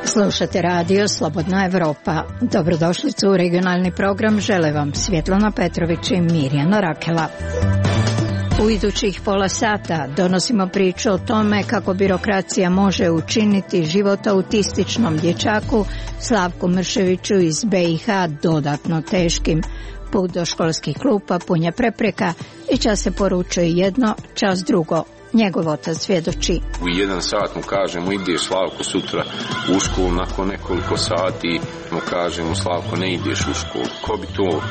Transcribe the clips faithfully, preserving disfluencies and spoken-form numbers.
Slušate radio Slobodna Evropa. Dobrodošlicu u regionalni program žele vam Svjetlana Petrović i Mirjana Rakela. U idućih pola sata donosimo priču o tome kako birokracija može učiniti život autističnom dječaku Slavku Mrševiću iz B i H dodatno teškim. Put do školskih klupa pun je prepreka i čas se poručuje jedno, čas drugo. Njegov otac svjedoči. U jedan sat mu kažemo ideš Slavko sutra u školu, nakon nekoliko sati mu kažemo Slavko ne ideš u školu. Ko bi to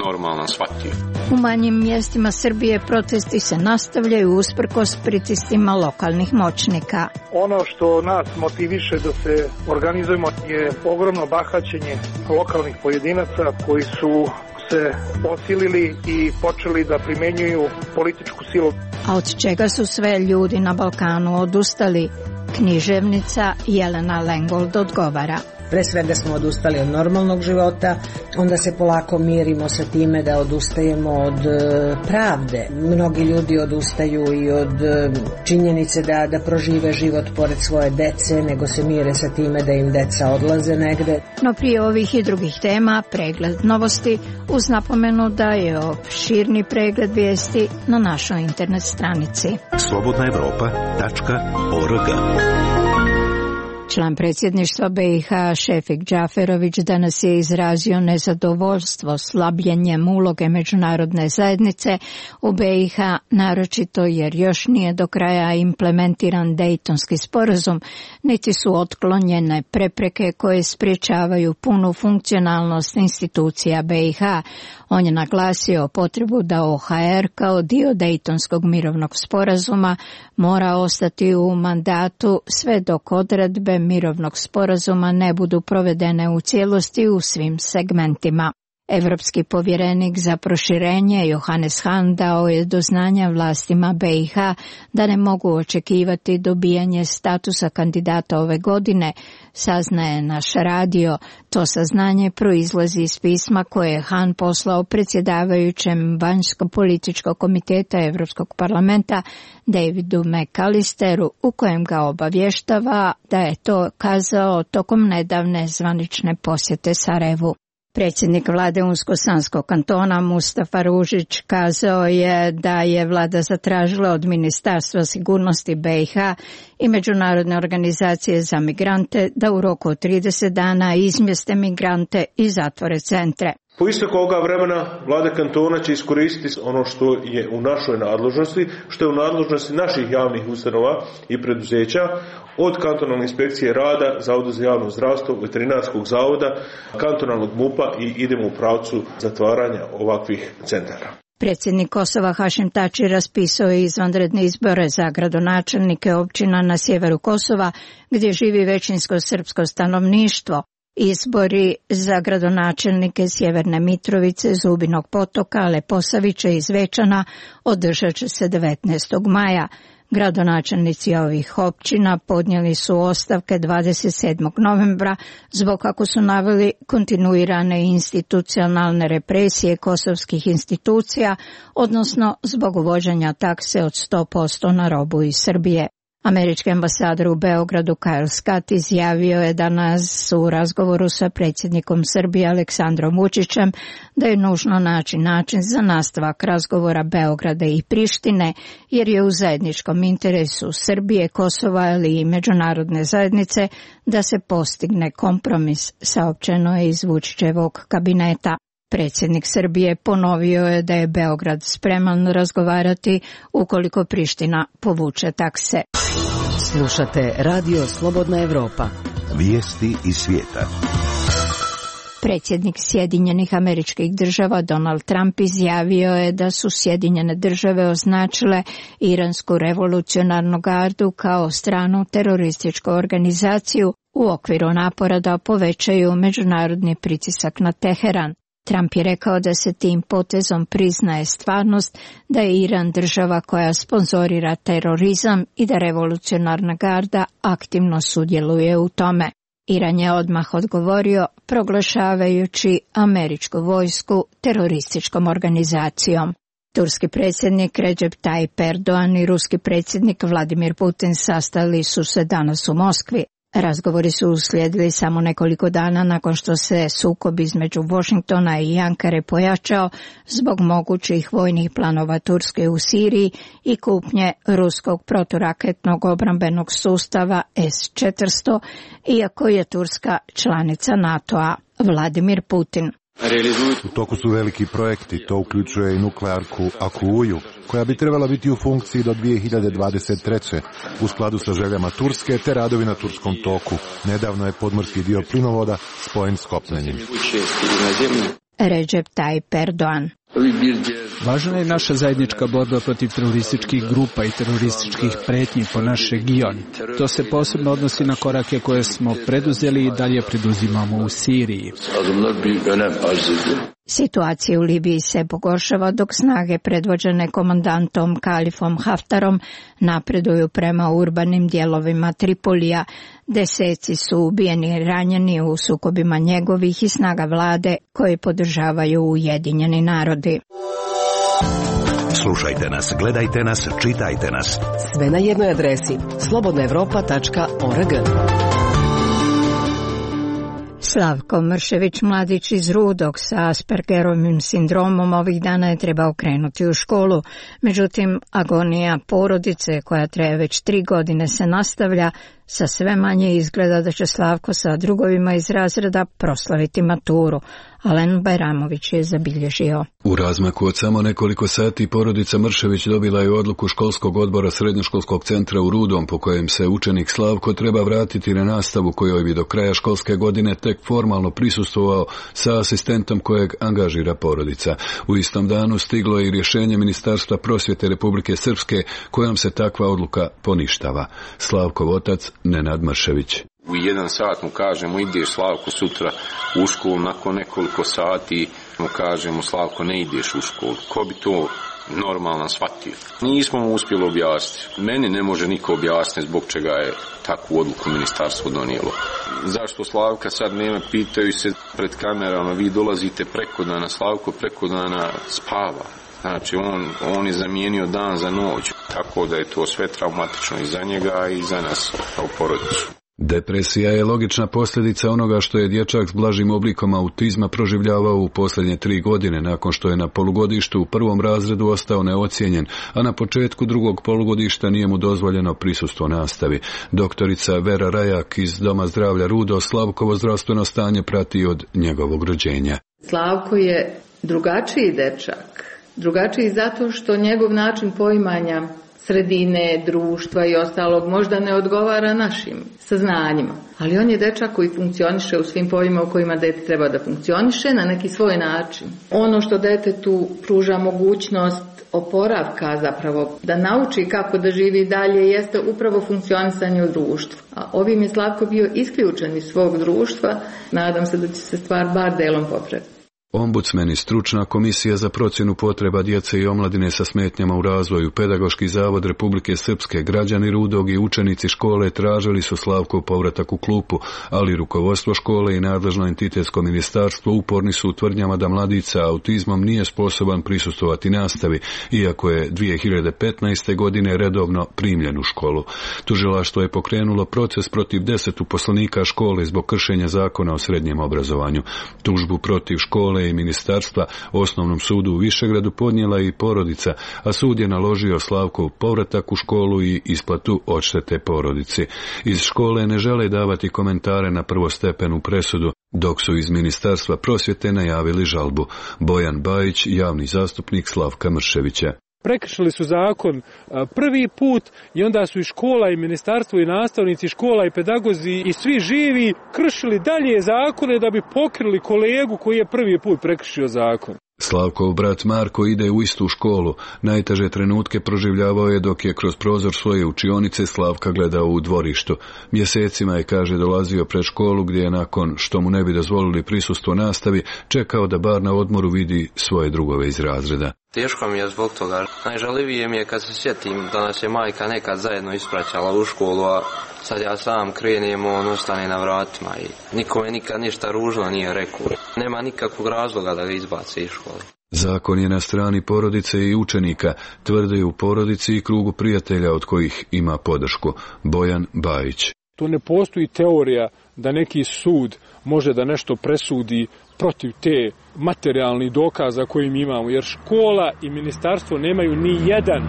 normalno shvatio? U manjim mjestima Srbije protesti se nastavljaju usprkos pritiscima lokalnih moćnika. Ono što nas motiviše da se organizujemo je ogromno bahaćenje lokalnih pojedinaca koji su se osilili i počeli da primenjuju političku silu. A od čega su sve ljudi na Balkanu odustali? Književnica Jelena Lengold odgovara. Pre svega smo odustali od normalnog života, onda se polako mirimo sa time da odustajemo od e, pravde. Mnogi ljudi odustaju i od e, činjenice da, da prožive život pored svoje dece, nego se mire sa time da im deca odlaze negde. No prije ovih i drugih tema, pregled novosti uz napomenu da je opširni pregled vijesti na našoj internet stranici. slobodna evropa tačka org. Član predsjedništva B i H Šefik Džaferović danas je izrazio nezadovoljstvo slabljenjem uloge međunarodne zajednice u B i H, naročito jer još nije do kraja implementiran Dejtonski sporazum, niti su otklonjene prepreke koje sprječavaju punu funkcionalnost institucija B i H. On je naglasio potrebu da O H R kao dio Dejtonskog mirovnog sporazuma mora ostati u mandatu sve dok odredbe mirovnog sporazuma ne budu provedene u cijelosti u svim segmentima. Evropski povjerenik za proširenje Johannes Hahn dao je do znanja vlastima B i H da ne mogu očekivati dobijanje statusa kandidata ove godine, saznaje naš radio. To saznanje proizlazi iz pisma koje je Hahn poslao predsjedavajućem vanjsko-političkog komiteta Europskog parlamenta Davidu McAllisteru, u kojem ga obavještava da je to kazao tokom nedavne zvanične posjete Sarajevu. Predsjednik vlade Unsko-Sanskog kantona Mustafa Ružić kazao je da je vlada zatražila od Ministarstva sigurnosti B i H i Međunarodne organizacije za migrante da u roku od trideset dana izmjeste migrante i zatvore centre. Po isteku ovoga vremena vlada kantona će iskoristiti ono što je u našoj nadležnosti, što je u nadležnosti naših javnih ustanova i preduzeća, od kantonalne inspekcije rada, Zavoda za javno zdravstvo, veterinarskog zavoda, kantonalnog M U P-a i idemo u pravcu zatvaranja ovakvih centara. Predsjednik Kosova Hašim Tači raspisao je izvanredne izbore za gradonačelnike općina na sjeveru Kosova, gdje živi većinsko srpsko stanovništvo. Izbori za gradonačelnike Sjeverne Mitrovice, Zubinog Potoka, Leposavića i Zvečana održat će se devetnaestog maja. Gradonačelnici ovih općina podnijeli su ostavke dvadeset sedmog novembra zbog, kako su naveli, kontinuirane institucionalne represije kosovskih institucija, odnosno zbog uvođenja takse od sto posto na robu iz Srbije. Američki ambasador u Beogradu Kyle Scott izjavio je danas u razgovoru sa predsjednikom Srbije Aleksandrom Vučićem da je nužno naći način za nastavak razgovora Beograda i Prištine, jer je u zajedničkom interesu Srbije, Kosova ali i međunarodne zajednice da se postigne kompromis, saopćeno je iz Vučićevog kabineta. Predsjednik Srbije ponovio je da je Beograd spreman razgovarati ukoliko Priština povuče takse. Slušate radio Slobodna Evropa. Vijesti iz svijeta. Predsjednik Sjedinjenih Američkih Država Donald Trump izjavio je da su Sjedinjene Države označile Iransku revolucionarnu gardu kao stranu terorističku organizaciju u okviru napora da povećaju međunarodni pritisak na Teheran. Trump je rekao da se tim potezom priznaje stvarnost da je Iran država koja sponzorira terorizam i da revolucionarna garda aktivno sudjeluje u tome. Iran je odmah odgovorio proglašavajući američku vojsku terorističkom organizacijom. Turski predsjednik Recep Tayyip Erdogan i ruski predsjednik Vladimir Putin sastali su se danas u Moskvi. Razgovori su uslijedili samo nekoliko dana nakon što se sukob između Washingtona i Ankare pojačao zbog mogućih vojnih planova Turske u Siriji i kupnje ruskog proturaketnog obrambenog sustava S četiristo, iako je Turska članica NATO-a. Vladimir Putin. U toku su veliki projekti, to uključuje i nuklearku Akuju, koja bi trebala biti u funkciji do dvije hiljade dvadeset treće. u skladu sa željama Turske te radovi na Turskom toku. Nedavno je podmorski dio plinovoda spojen s kopnenim. Recep Tayyip Erdogan. Važna je naša zajednička borba protiv terorističkih grupa i terorističkih pretnji po naš region. To se posebno odnosi na korake koje smo preduzeli i dalje preduzimamo u Siriji. Situacija u Libiji se pogoršava dok snage predvođene komandantom Kalifom Haftarom napreduju prema urbanim dijelovima Tripolija. Deseci su ubijeni i ranjeni u sukobima njegovih i snaga vlade koji podržavaju Ujedinjeni narodi. Slušajte nas, gledajte nas, čitajte nas. Sve na jednoj adresi slobodna evropa tačka org. Slavko Mršević, mladić iz Rudog sa Aspergerovim sindromom, ovih dana je trebao krenuti u školu. Međutim, agonija porodice koja traje već tri godine se nastavlja. Sa sve manje izgleda da će Slavko sa drugovima iz razreda proslaviti maturu. Alen Bajramović je zabilježio. U razmaku od samo nekoliko sati porodica Mršević dobila je odluku školskog odbora srednjoškolskog centra u Rudom po kojem se učenik Slavko treba vratiti na nastavu kojoj bi do kraja školske godine tek formalno prisustvovao sa asistentom kojeg angažira porodica. U istom danu stiglo je i rješenje Ministarstva prosvjete Republike Srpske kojom se takva odluka poništava. Slavkov otac Nenad Mršević. U jedan sat mu kažemo ideš Slavko sutra u školu, nakon nekoliko sati mu kažemo Slavko ne ideš u školu. Ko bi to normalno shvatio? Nismo mu uspjeli objasniti. Meni ne može niko objasniti zbog čega je takvu odluku ministarstvo donijelo. Zašto Slavka sad nema, pitaju se pred kamerama, vi dolazite preko dana, Slavko preko dana spava. Znači, on, on je zamijenio dan za noć, tako da je to sve traumatično i za njega i za nas kao porodicu. Depresija je logična posljedica onoga što je dječak s blažim oblikom autizma proživljavao u posljednje tri godine nakon što je na polugodištu u prvom razredu ostao neocijenjen, a na početku drugog polugodišta nije mu dozvoljeno prisustvo nastavi. Doktorica Vera Rajak iz Doma zdravlja Rudo Slavkovo zdravstveno stanje prati od njegovog rođenja. Slavko je drugačiji dečak. Drugačiji zato što njegov način poimanja sredine, društva i ostalog možda ne odgovara našim saznanjima. Ali on je dečak koji funkcioniše u svim poljima u kojima dete treba da funkcioniše na neki svoj način. Ono što detetu pruža mogućnost oporavka zapravo, da nauči kako da živi dalje, jeste upravo funkcionisanje u društvu. A ovim je Slavko bio isključen iz svog društva, nadam se da će se stvar bar delom popraviti. Ombudsman i stručna komisija za procjenu potreba djece i omladine sa smetnjama u razvoju, Pedagoški zavod Republike Srpske, građani Rudog i učenici škole tražili su Slavkov povratak u klupu, ali rukovodstvo škole i nadležno entitetsko ministarstvo uporni su u tvrdnjama da mladić sa autizmom nije sposoban prisustvovati nastavi, iako je dvije hiljade petnaeste. godine redovno primljen u školu. Tužilaštvo je pokrenulo proces protiv deset uposlenika škole zbog kršenja zakona o srednjem obrazovanju. Tužbu protiv škole i ministarstva Osnovnom sudu u Višegradu podnijela i porodica, a sud je naložio Slavkov povratak u školu i isplatu odštete porodici. Iz škole ne žele davati komentare na prvostepenu presudu, dok su iz Ministarstva prosvjete najavili žalbu. Bojan Bajić, javni zastupnik Slavka Mrševića. Prekršili su zakon prvi put i onda su i škola i ministarstvo i nastavnici škola i pedagozi i svi živi kršili dalje zakone da bi pokrili kolegu koji je prvi put prekršio zakon. Slavkov brat Marko ide u istu školu. Najteže trenutke proživljavao je dok je kroz prozor svoje učionice Slavka gledao u dvorištu. Mjesecima je, kaže, dolazio pred školu gdje je nakon što mu ne bi dozvolili prisustvo nastavi čekao da bar na odmoru vidi svoje drugove iz razreda. Teško mi je zbog toga. Najžalivije mi je kad se sjetim da nas je majka nekad zajedno ispraćala u školu, a sad ja sam krenem, on ostane na vratima i nikome nikad ništa ružno nije rekao. Nema nikakvog razloga da ga izbace iz škole. Zakon je na strani porodice i učenika, tvrde u porodici i krugu prijatelja od kojih ima podršku. Bojan Bajić. Tu ne postoji teorija da neki sud može da nešto presudi protiv te materijalnih dokaza koje mi imamo, jer škola i ministarstvo nemaju ni jedan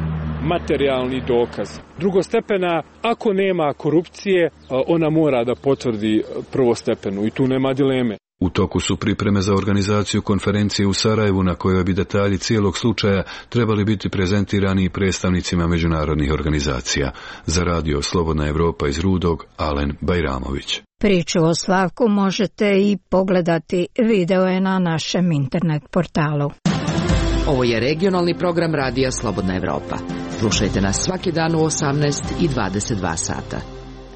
materijalni dokaz. Drugostepena, ako nema korupcije, ona mora da potvrdi prvostepenu i tu nema dileme. U toku su pripreme za organizaciju konferencije u Sarajevu na kojoj bi detalji cijelog slučaja trebali biti prezentirani i predstavnicima međunarodnih organizacija. Za radio Slobodna Evropa iz Rudog, Alen Bajramović. Priču o Slavku možete i pogledati, video je na našem internet portalu. Ovo je regionalni program radija Slobodna Evropa. Slušajte nas svaki dan u osamnaest i dvadeset dva sata.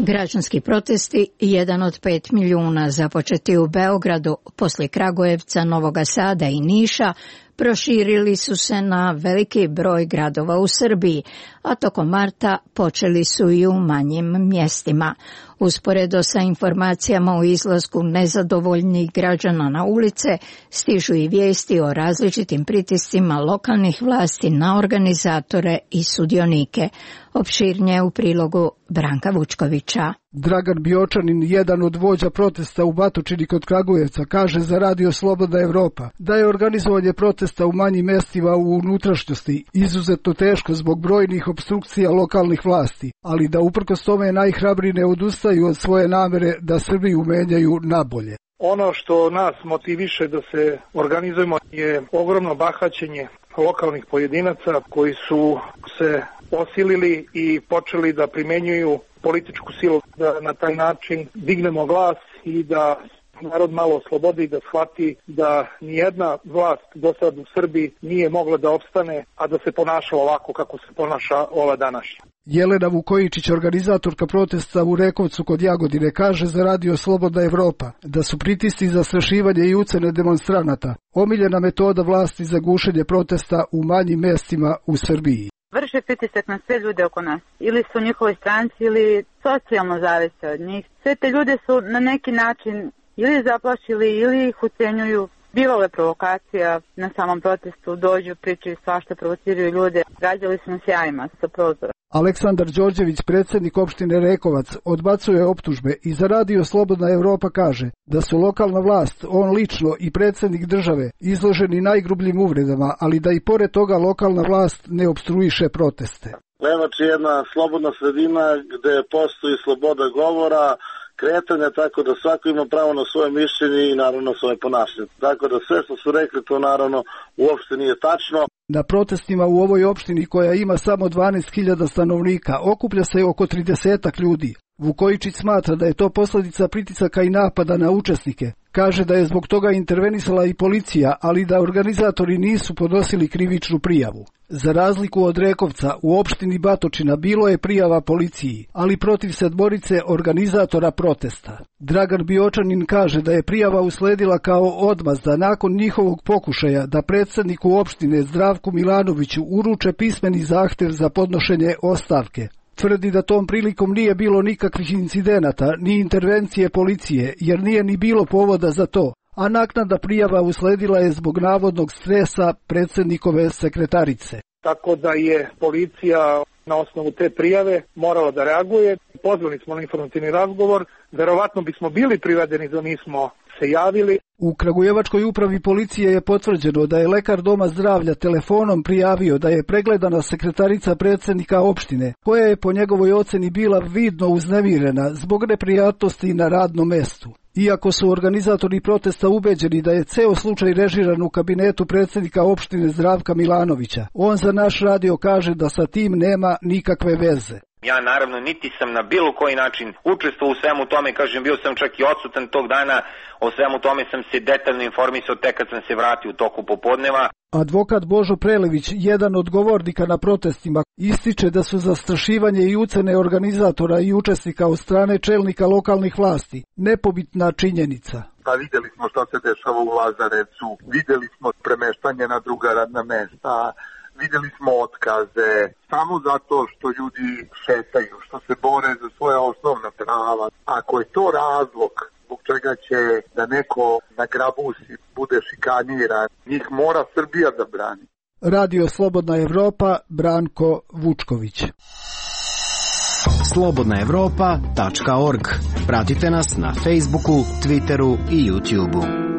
Građanski protesti, jedan od pet milijuna, započeti u Beogradu, poslije Kragujevca, Novog Sada i Niša, proširili su se na veliki broj gradova u Srbiji, a tokom marta počeli su i u manjim mjestima. Usporedo sa informacijama o izlasku nezadovoljnih građana na ulice, stižu i vijesti o različitim pritiscima lokalnih vlasti na organizatore i sudionike. Opširnije u prilogu Branka Vučkovića. Dragan Biočanin, jedan od vođa protesta u Batočini kod Kragujevca, kaže za radio Slobodna Evropa da je organizovanje protesta u manjim mestima u unutrašnjosti izuzetno teško zbog brojnih opstrukcija lokalnih vlasti, ali da uprkos tome najhrabriji ne odustaju od svoje namere da Srbiju menjaju nabolje. Ono što nas motiviše da se organizujemo je ogromno bahaćenje lokalnih pojedinaca koji su se osilili i počeli da primenjuju političku silu, da na taj način dignemo glas i da narod malo oslobodi, da shvati da nijedna vlast do sad u Srbiji nije mogla da opstane, a da se ponaša ovako kako se ponaša ova današnja. Jelena Vukojičić, organizatorka protesta u Rekovcu kod Jagodine, kaže za radio Slobodna Evropa da su pritisci, zastrašivanje i ucene demonstranata omiljena metoda vlasti za gušenje protesta u manjim mestima u Srbiji. Vrše pritisak na sve ljude oko nas. Ili su u njihovoj stranci ili socijalno zavise od njih. Sve te ljude su na neki način ili zaplašili ili ih ucenjuju. Bivale provokacija na samom protestu, dođu, pričaju svašta, provociraju ljude. Gađali su nas jajima sa prozora. Aleksandar Đorđević, predsjednik opštine Rekovac, odbacuje optužbe i za radio Slobodna Evropa kaže da su lokalna vlast, on lično i predsjednik države izloženi najgrubljim uvredama, ali da i pored toga lokalna vlast ne opstruiše proteste. Levač je jedna slobodna sredina gde postoji sloboda govora, kretanja, tako da svako ima pravo na svoje mišljenje i naravno svoje ponašanje. Tako da sve što su rekli to naravno uopšte nije tačno. Na protestima u ovoj opštini koja ima samo dvanaest hiljada stanovnika okuplja se oko tridesetak ljudi. Vukojičić smatra da je to posljedica pritisaka i napada na učesnike. Kaže da je zbog toga intervenisala i policija, ali da organizatori nisu podnosili krivičnu prijavu. Za razliku od Rekovca, u opštini Batočina bilo je prijava policiji, ali protiv sedmorice organizatora protesta. Dragan Biočanin kaže da je prijava usledila kao odmazda nakon njihovog pokušaja da predsjedniku opštine Zdravku Milanoviću uruče pismeni zahtev za podnošenje ostavke. Tvrdi da tom prilikom nije bilo nikakvih incidenata ni intervencije policije, jer nije ni bilo povoda za to, a naknadna prijava usledila je zbog navodnog stresa predsjednikove sekretarice. Tako da je policija na osnovu te prijave morala da reaguje. Pozvali smo na informativni razgovor, verovatno bismo bili privedeni da nismo se javili. U Kragujevačkoj upravi policije je potvrđeno da je lekar doma zdravlja telefonom prijavio da je pregledana sekretarica predsjednika opštine, koja je po njegovoj oceni bila vidno uznemirena zbog neprijatnosti na radnom mestu. Iako su organizatori protesta ubeđeni da je ceo slučaj režiran u kabinetu predsjednika opštine Zdravka Milanovića, on za naš radio kaže da sa tim nema nikakve veze. Ja naravno niti sam na bilo koji način učestvovao u svemu tome, kažem bio sam čak i odsutan tog dana, o svemu tome sam se detaljno informisao tek kad sam se vratio u toku popodneva. Advokat Božo Prelević, jedan od govornika na protestima, ističe da su zastrašivanje i ucene organizatora i učesnika od strane čelnika lokalnih vlasti nepobitna činjenica. Pa vidjeli smo što se dešava u Lazarevcu, vidjeli smo premeštanje na druga radna mesta, vidjeli smo otkaze, samo zato što ljudi šetaju, što se bore za svoje osnovna prava. Ako je to razlog zbog čega će da neko na grabusi bude šikaniran. Njih mora Srbija da brani. Radio Slobodna Evropa, Branko Vučković. slobodna evropa tačka org. Pratite nas na Facebooku, Twitteru i YouTubeu.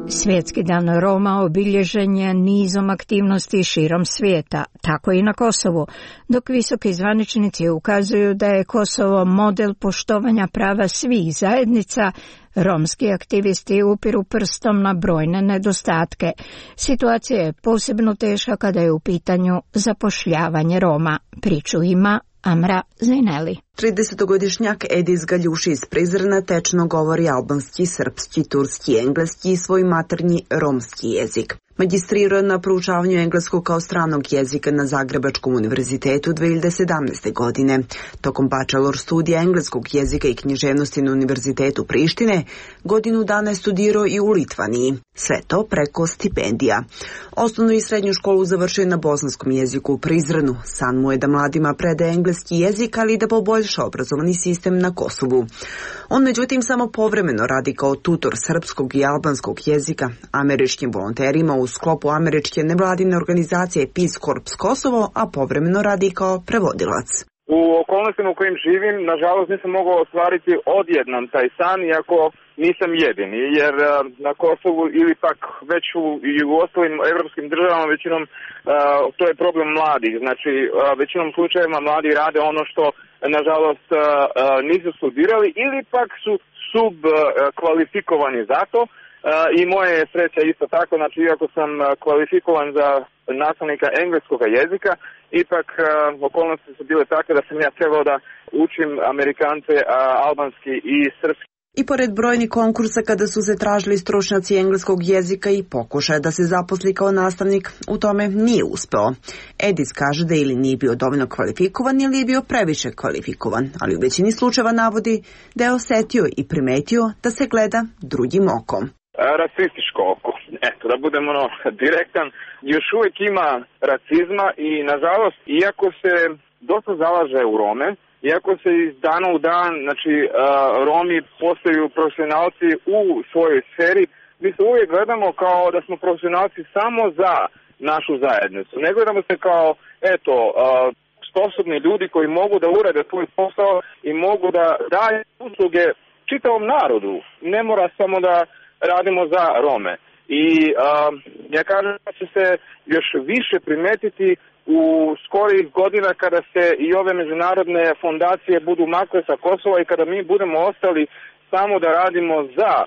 Svjetski dan Roma obilježen je nizom aktivnosti širom svijeta, tako i na Kosovu, dok visoki zvaničnici ukazuju da je Kosovo model poštovanja prava svih zajednica. Romski aktivisti upiru prstom na brojne nedostatke. Situacija je posebno teška kada je u pitanju zapošljavanje Roma. Priču ima Amra Zaineli. tridesetogodišnjak Edis Galjuši iz Prizrena tečno govori albanski, srpski, turski, engleski i svoj maternji romski jezik. Magistrirao je na proučavanju engleskog kao stranog jezika na Zagrebačkom univerzitetu dve hiljade sedamnaeste. godine. Tokom bachelor studija engleskog jezika i književnosti na Univerzitetu Prištine, godinu dana je studirao i u Litvaniji. Sve to preko stipendija. Osnovnu i srednju školu završio je na bosanskom jeziku u Prizrenu. San mu je da mladima predaje engleski jezik, ali i da poboljša obrazovani sistem na Kosovu. On međutim samo povremeno radi kao tutor srpskog i albanskog jezika američkim volonterima u sklopu američke nevladine organizacije Peace Corps Kosovo, a povremeno radi kao prevodilac. U okolnostima u kojim živim, nažalost nisam mogao ostvariti odjednom taj san, iako nisam jedini, jer na Kosovu ili pak već u, i u ostalim evropskim državama većinom uh, to je problem mladih. Znači, uh, većinom slučajeva mladi rade ono što nažalost uh, uh, nisu studirali ili pak su subkvalifikovani uh, za to. Uh, I moja je sreća isto tako, znači iako sam uh, kvalifikovan za nastavnika engleskog jezika, ipak uh, okolnosti su bile takve da sam ja trebao da učim Amerikance uh, albanski i srpski. I pored brojnih konkursa kada su se tražili stručnjaci engleskog jezika i pokušaja da se zaposli kao nastavnik, u tome nije uspeo. Edis kaže da ili nije bio dovoljno kvalifikovan ili je bio previše kvalifikovan, ali u većini slučajeva navodi da je osetio i primetio da se gleda drugim okom. Rasističko oko. Eto, da budem ono direktan, još uvijek ima racizma i nažalost, iako se dosta zalaže u Rome, iako se iz dana u dan, znači uh, Romi postaju profesionalci u svojoj sferi, mi se uvijek gledamo kao da smo profesionalci samo za našu zajednicu. Ne gledamo se kao, eto, uh, sposobni ljudi koji mogu da urade svoj posao i mogu da daju usluge čitavom narodu. Ne mora samo da radimo za Rome. I uh, ja kažem da će se još više primetiti u skorijih godina kada se i ove međunarodne fondacije budu makle sa Kosova i kada mi budemo ostali samo da radimo za a,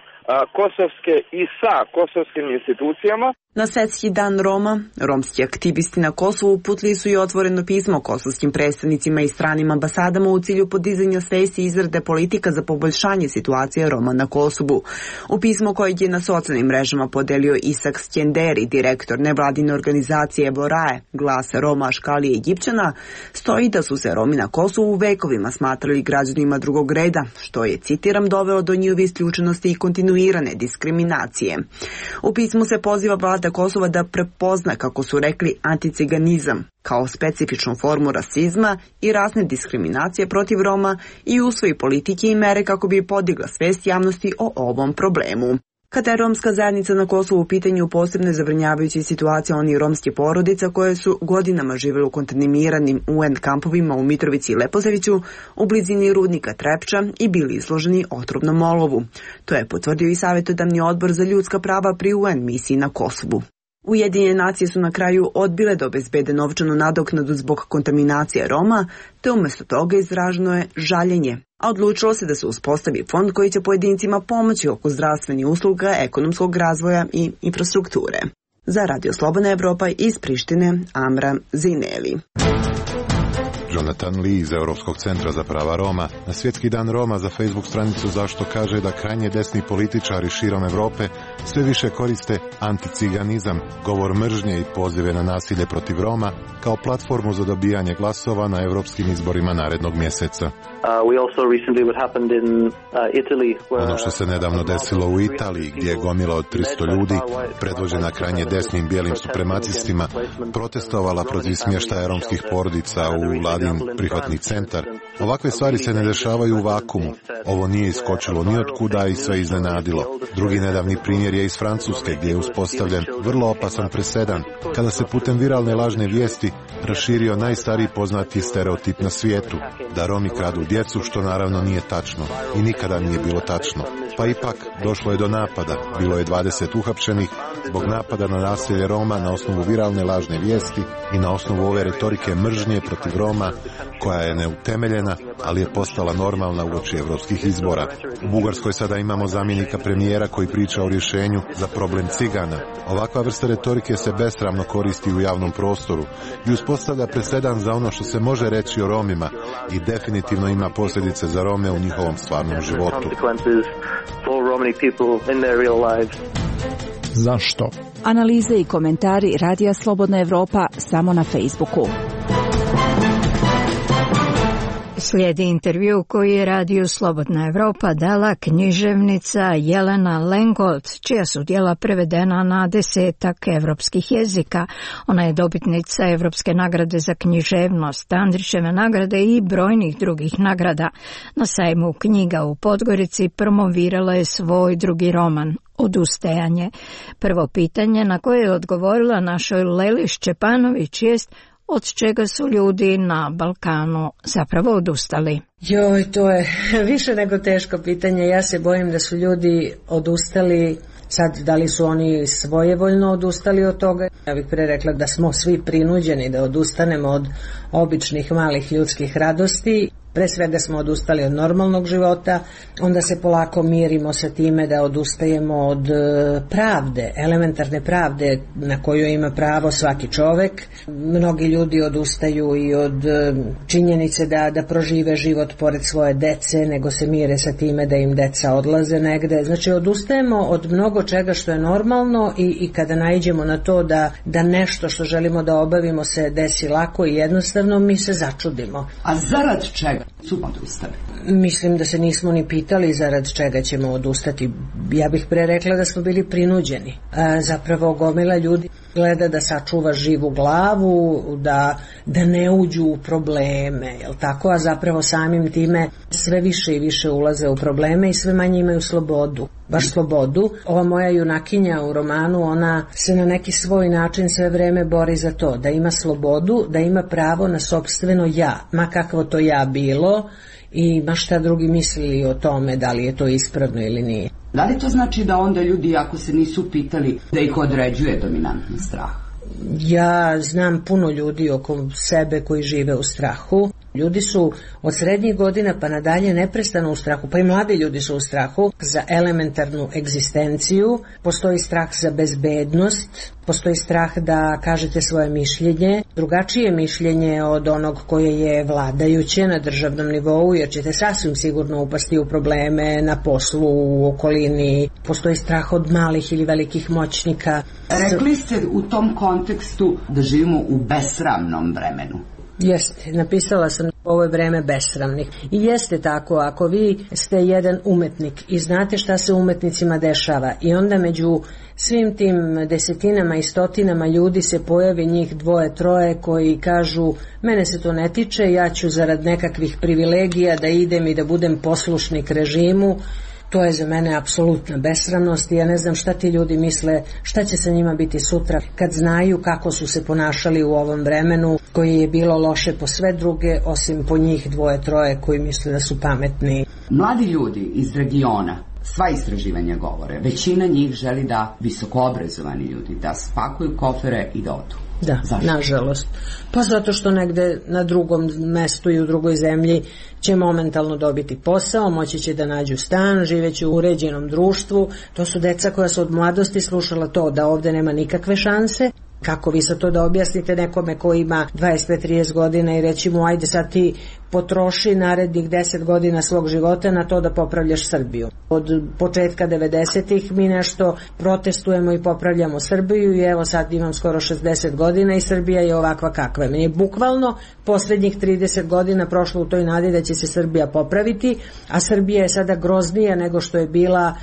kosovske i sa kosovskim institucijama. Na Svetski dan Roma, romski aktivisti na Kosovu uputili su i otvoreno pismo kosovskim predstavnicima i stranim ambasadama u cilju podizanja svesti i izrade politika za poboljšanje situacije Roma na Kosovu. U pismo kojeg je na socijalnim mrežama podelio Isak Skenderi, direktor nevladine organizacije Borae, Glas Roma, Škalije i Egipćana, stoji da su se Romi na Kosovu vekovima smatrali građanima drugog reda, što je, citiram, dovelo do njihove isključenosti i kontinuirane diskriminacije. U pismu se poziva vlada Kosova da prepozna, kako su rekli, anticiganizam kao specifičnu formu rasizma i razne diskriminacije protiv Roma i usvoji politike i mere kako bi podigla svest javnosti o ovom problemu. Kada je romska zajednica na Kosovu u pitanju, posebno zabrinjavajuća situacija onih romskih porodica koje su godinama živjeli u kontaminiranim U N kampovima u Mitrovici i Leposaviću u blizini rudnika Trepča i bili izloženi otrovnom olovu. To je potvrdio i savjetodavni odbor za ljudska prava pri U N misiji na Kosovu. Ujedinjene nacije su na kraju odbile da obezbede novčanu nadoknadu zbog kontaminacije Roma, te umjesto toga izraženo je žaljenje, a odlučilo se da se uspostavi fond koji će pojedincima pomoći oko zdravstvenih usluga, ekonomskog razvoja i infrastrukture. Za Radio Slobodna Evropa iz Prištine, Amra Zaineli. Jonathan Lee iz Europskog centra za prava Roma na Svjetski dan Roma za Facebook stranicu Zašto kaže da krajnje desni političari širom Europe sve više koriste anticiganizam, govor mržnje i pozive na nasilje protiv Roma kao platformu za dobijanje glasova na europskim izborima narednog mjeseca. Ono što se nedavno desilo u Italiji, gdje je gomila od tristo ljudi, predvođena krajnje desnim bijelim supremacistima, protestovala protiv smještaja romskih porodica u vladin prihvatni centar. Ovakve stvari se ne dešavaju u vakumu. Ovo nije iskočilo ni od kuda i sve iznenadilo. Drugi nedavni primjer je iz Francuske, gdje je uspostavljen vrlo opasan presedan, kada se putem viralne lažne vijesti raširio najstariji poznati stereotip na svijetu, da Romi kradu djecu, što naravno nije tačno i nikada nije bilo tačno. Pa ipak došlo je do napada, bilo je dvadeset uhapšenih zbog napada na nasilje Roma na osnovu viralne lažne vijesti i na osnovu ove retorike mržnje protiv Roma, koja je neutemeljena, ali je postala normalna uoči evropskih izbora. U Bugarskoj sada imamo zamjenika premijera koji priča o rješenju za problem Cigana. Ovakva vrsta retorike se besramno koristi u javnom prostoru i uspostavlja presedan za ono što se može reći o Romima i definitivno ima posljedice za Rome u njihovom stvarnom životu. Zašto? Analize i komentari Radija Slobodna Evropa samo na Facebooku. Slijedi intervju koji je Radio Slobodna Evropa dala književnica Jelena Lengold, čija su djela prevedena na desetak evropskih jezika. Ona je dobitnica Evropske nagrade za književnost, Andrićeve nagrade i brojnih drugih nagrada. Na sajmu knjiga u Podgorici promovirala je svoj drugi roman, Odustajanje. Prvo pitanje na koje je odgovorila našoj Leli Šćepanović jest: od čega su ljudi na Balkanu zapravo odustali? Joj, to je više nego teško pitanje. Ja se bojim da su ljudi odustali. Sad, da li su oni svojevoljno odustali od toga? Ja bih pre rekla da smo svi prinuđeni da odustanemo od običnih malih ljudskih radosti. Pre svega smo odustali od normalnog života, onda se polako mirimo sa time da odustajemo od pravde, elementarne pravde na koju ima pravo svaki čovek. Mnogi ljudi odustaju i od činjenice da, da prožive život pored svoje dece, nego se mire sa time da im deca odlaze negde. Znači, odustajemo od mnogo čega što je normalno i, i kada naiđemo na to da, da nešto što želimo da obavimo se desi lako i jednostavno, mi se začudimo. A zarad čega su odustali? Mislim da se nismo ni pitali zarad čega ćemo odustati. Ja bih pre rekla da smo bili prinuđeni. A, zapravo gomila ljudi gleda da sačuva živu glavu, da, da ne uđu u probleme, jel tako? A zapravo samim time sve više i više ulaze u probleme i sve manje imaju slobodu. Baš slobodu. Ova moja junakinja u romanu, ona se na neki svoj način sve vreme bori za to, da ima slobodu, da ima pravo na sopstveno ja, ma kakvo to ja bilo i ma šta drugi mislili o tome, da li je to ispravno ili nije. Da li to znači da onda ljudi, ako se nisu pitali, da ih određuje dominantni strah? Ja znam puno ljudi oko sebe koji žive u strahu. Ljudi su od srednjih godina pa nadalje neprestano u strahu, pa i mladi ljudi su u strahu za elementarnu egzistenciju. Postoji strah za bezbednost, postoji strah da kažete svoje mišljenje, drugačije mišljenje od onog koje je vladajuće na državnom nivou, jer ćete sasvim sigurno upasti u probleme na poslu, u okolini. Postoji strah od malih ili velikih moćnika. Rekli ste u tom kontekstu da živimo u besramnom vremenu. Jeste, napisala sam ovo je vreme besramnih. I jeste tako, ako vi ste jedan umetnik i znate šta se umetnicima dešava i onda među svim tim desetinama i stotinama ljudi se pojavi njih dvoje, troje koji kažu mene se to ne tiče, ja ću zarad nekakvih privilegija da idem i da budem poslušnik režimu. To je za mene apsolutna besramnost i ja ne znam šta ti ljudi misle, šta će sa njima biti sutra kad znaju kako su se ponašali u ovom vremenu koje je bilo loše po sve druge osim po njih dvoje, troje koji misle da su pametni. Mladi ljudi iz regiona, sva istraživanja govore, većina njih želi da visokoobrazovani ljudi da spakuju kofere i da odu. Da, zašto? Nažalost. Pa zato što negde na drugom mestu i u drugoj zemlji će momentalno dobiti posao, moći će da nađu stan, živeće u uređenom društvu. To su deca koja su od mladosti slušala to da ovde nema nikakve šanse Kako vi sad to da objasnite nekome ko ima dvadeset pet trideset godina i reći mu ajde sad ti potroši narednih deset godina svog života na to da popravljaš Srbiju. Od početka devedesetih mi nešto protestujemo i popravljamo Srbiju i evo sad imam skoro šezdeset godina i Srbija je ovakva kakva je. Meni je bukvalno poslednjih trideset godina prošlo u toj nadi da će se Srbija popraviti, a Srbija je sada groznija nego što je bila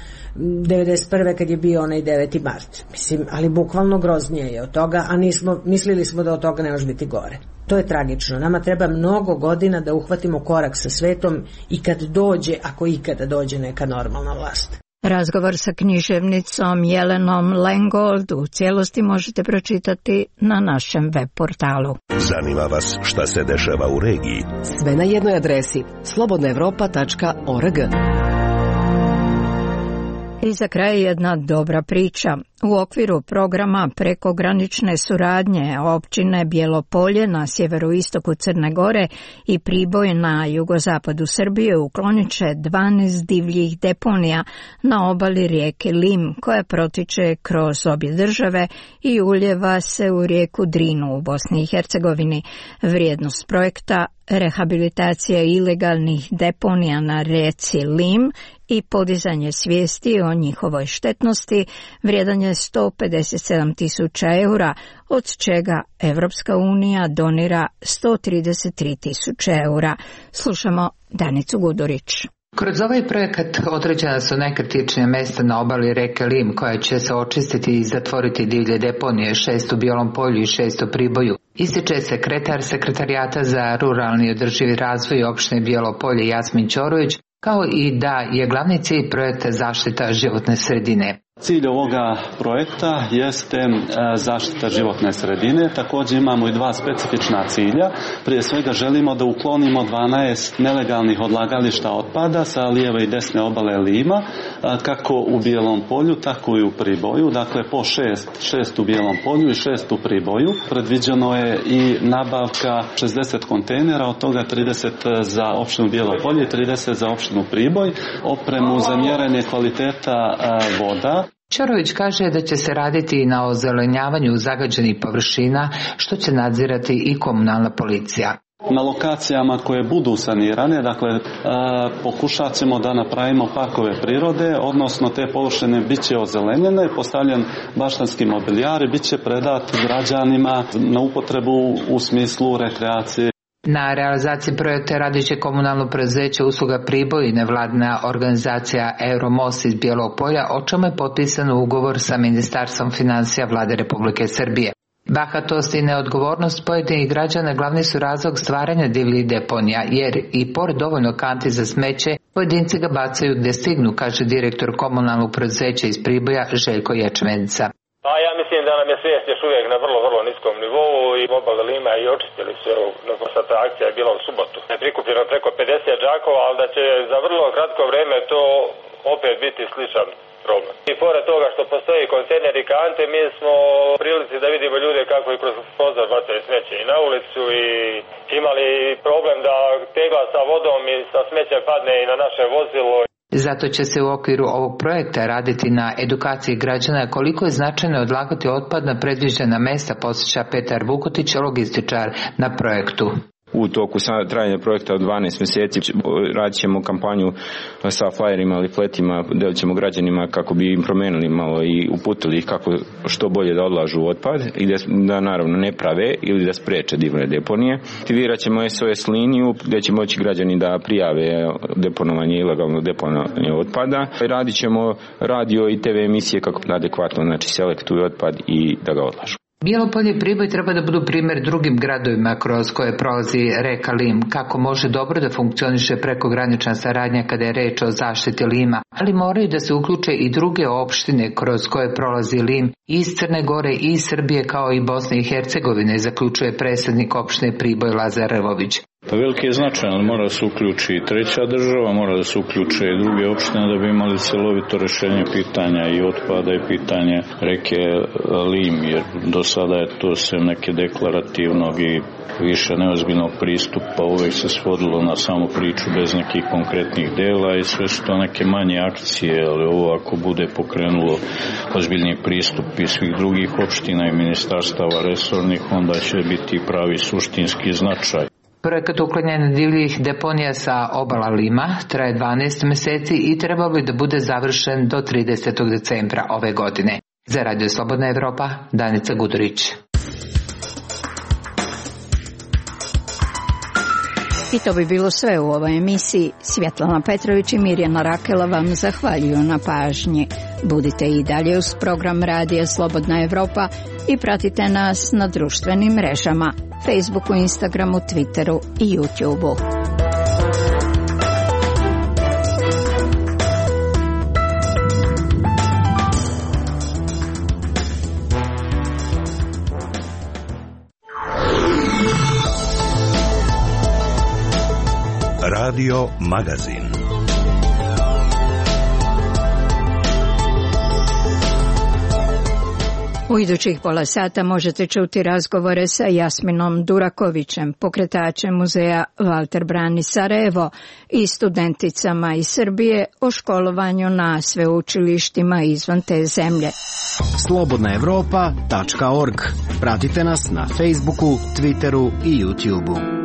devedeset prve kad je bio onaj deveti mart. Mislim, ali bukvalno groznije je od toga, a nismo, mislili smo da od toga ne može biti gore. To je tragično. Nama treba mnogo godina da uhvatimo korak sa svetom i kad dođe, ako ikada dođe neka normalna vlast. Razgovor sa književnicom Jelenom Lengold u cijelosti možete pročitati na našem web portalu. Zanima vas šta se dešava u regiji? Sve na jednoj adresi slobodna evropa tačka org. I za kraj jedna dobra priča. U okviru programa prekogranične suradnje općine Bjelopolje na sjeveroistoku Crne Gore i Priboj na jugozapadu Srbije uklonit će dvanaest divljih deponija na obali rijeke Lim, koja protiče kroz obje države i uljeva se u rijeku Drinu u Bosni i Hercegovini. Vrijednost projekta rehabilitacija ilegalnih deponija na rijeci Lim i podizanje svijesti o njihovoj štetnosti vrijedan je sto pedeset sedam tisuća eura, od čega Evropska unija donira sto trideset tri tisuće eura. Slušamo Danicu Gudurić. Kroz ovaj projekat određena su najkritičnija mjesta na obali reke Lim, koja će se očistiti i zatvoriti divlje deponije, šest u Bijelom Polju i šest u Priboju. Ističe sekretar Sekretarijata za ruralni održivi razvoj opštine Bijelo Polje Jasmin Ćorović, kao i da je glavni cilj projekta zaštita životne sredine. Cilj ovoga projekta jeste zaštita životne sredine. Također imamo i dva specifična cilja. Prije svega želimo da uklonimo dvanaest nelegalnih odlagališta otpada sa lijeve i desne obale Lima, kako u Bijelom Polju, tako i u Priboju. Dakle, po šest, šest u Bijelom Polju i šest u Priboju. Predviđeno je i nabavka šezdeset kontejnera, od toga trideset za opštinu Bijelo Polje i trideset za opštinu Priboj, opremu za mjerenje kvaliteta voda. Ćorović kaže da će se raditi i na ozelenjavanju zagađenih površina, što će nadzirati i komunalna policija. Na lokacijama koje budu sanirane, dakle, e, pokušat ćemo da napravimo parkove prirode, odnosno te površine bit će ozelenjene, postavljen baštanski mobilijar i bit će predat građanima na upotrebu u smislu rekreacije. Na realizaciji projekta radit će komunalno preduzeće Usluga Priboj i nevladina organizacija Euromos iz Bijelog Polja, o čemu je potpisan ugovor sa Ministarstvom financija Vlade Republike Srbije. Bahatost i neodgovornost pojedinih građana glavni su razlog stvaranja divljih deponija, jer i pored dovoljno kanti za smeće, pojedinci ga bacaju gdje stignu, kaže direktor komunalnog preduzeća iz Priboja Željko Ječmenica. Pa ja mislim da nam je svijest još uvijek na vrlo, vrlo niskom nivou i obale Lima i očistili su, nakon sad ta akcija je bila u subotu. Je prikupljeno preko pedeset džakova, ali da će za vrlo kratko vrijeme to opet biti sličan problem. I pored toga što postoji kontejneri i kante, mi smo u prilici da vidimo ljude kako i kroz prozor bacaju smeće i na ulicu i imali problem da tegla sa vodom i sa smećem padne i na naše vozilo. Zato će se u okviru ovog projekta raditi na edukaciji građana koliko je značajno odlagati otpad na predviđena mesta, podsjeća Petar Vukotić, logističar na projektu. U toku trajanja projekta od dvanaest mjeseci radit ćemo kampanju sa flyerima ili fletima, delit ćemo građanima kako bi im promenili malo i uputili ih kako što bolje da odlažu otpad i da, da naravno ne prave ili da spreče divne deponije. Aktivirat ćemo S O S liniju gdje će moći građani da prijave deponovanje, ilegalno deponovanje otpada. Radit ćemo radio i T V emisije kako adekvatno, znači selektuju otpad i da ga odlažu. Bijelo Polje i Priboj treba da budu primjer drugim gradovima kroz koje prolazi reka Lim, kako može dobro da funkcioniše prekogranična saradnja kada je reč o zaštiti Lima, ali moraju da se uključe i druge opštine kroz koje prolazi Lim iz Crne Gore i iz Srbije kao i Bosne i Hercegovine, zaključuje predsjednik opštine Priboj Lazar Rvović. Pa veliki je značaj, ali mora da se uključi i treća država, mora da se uključe i druge opštine da bi imali celovito rešenje pitanja i otpada i pitanje reke Lim, jer do sada je to sve neke deklarativnog i više neozbiljnog pristupa, uvek se svodilo na samu priču bez nekih konkretnih dela i sve su to neke manje akcije, ali ovo ako bude pokrenulo ozbiljni pristup i svih drugih opština i ministarstava resornih, onda će biti pravi suštinski značaj. Projekat uklanjanja divljih deponija sa obala Lima traje dvanaest meseci i trebao bi da bude završen do tridesetog decembra ove godine. Za Radio Slobodna Evropa, Danica Gudurić. I to bi bilo sve u ovoj emisiji. Svjetlana Petrović i Mirjana Rakela vam zahvaljuju na pažnji. Budite i dalje uz program Radija Slobodna Evropa i pratite nas na društvenim mrežama, Facebooku, Instagramu, Twitteru i YouTubeu. Radio Magazin. U idućih pola sata možete čuti razgovore sa Jasminom Durakovićem, pokretačem muzeja Valter Brani Sarajevo i studenticama iz Srbije o školovanju na sveučilištima izvan te zemlje. slobodna evropa tačka org. Pratite nas na Facebooku, Twitteru i YouTubeu.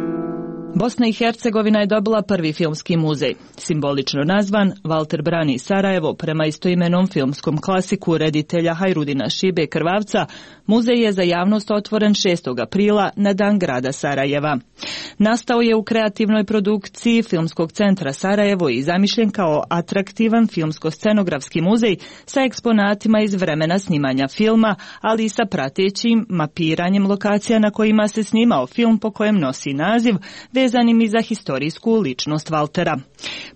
Bosna i Hercegovina je dobila prvi filmski muzej, simbolično nazvan Valter Brani Sarajevo prema istoimenom filmskom klasiku reditelja Hajrudina Šibe Krvavca. Muzej je za javnost otvoren šestog aprila na dan grada Sarajeva. Nastao je u kreativnoj produkciji Filmskog centra Sarajevo i zamišljen kao atraktivan filmsko-scenografski muzej sa eksponatima iz vremena snimanja filma, ali i sa pratećim mapiranjem lokacija na kojima se snimao film po kojem nosi naziv, vezanim i za historijsku ličnost Valtera.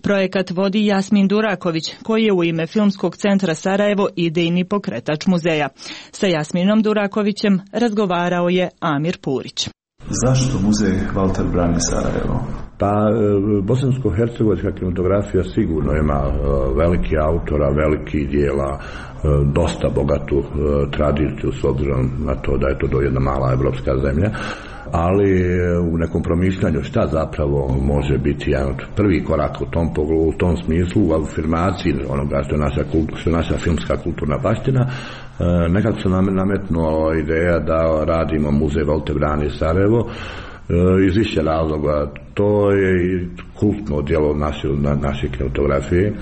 Projekat vodi Jasmin Duraković, koji je u ime Filmskog centra Sarajevo idejni pokretač muzeja. Sa Jasminom Durakovićem razgovarao je Amir Purić. Zašto muzej Valter Brani Sarajevo? Pa, bosansko-hercegovačka kinematografija sigurno ima veliki autora, veliki dijela, dosta bogatu tradiciju s obzirom na to da je to jedna mala evropska zemlja, ali u nekom promišljanju šta zapravo može biti jedan prvi korak u tom pogledu, u tom smislu, u afirmaciji onoga što je naša, što je naša filmska kulturna baština, nekako se nametnula ideja da radimo muzej Valter Brani Sarajevo iz više razloga. To je kultno djelo naše, naše kinematografije,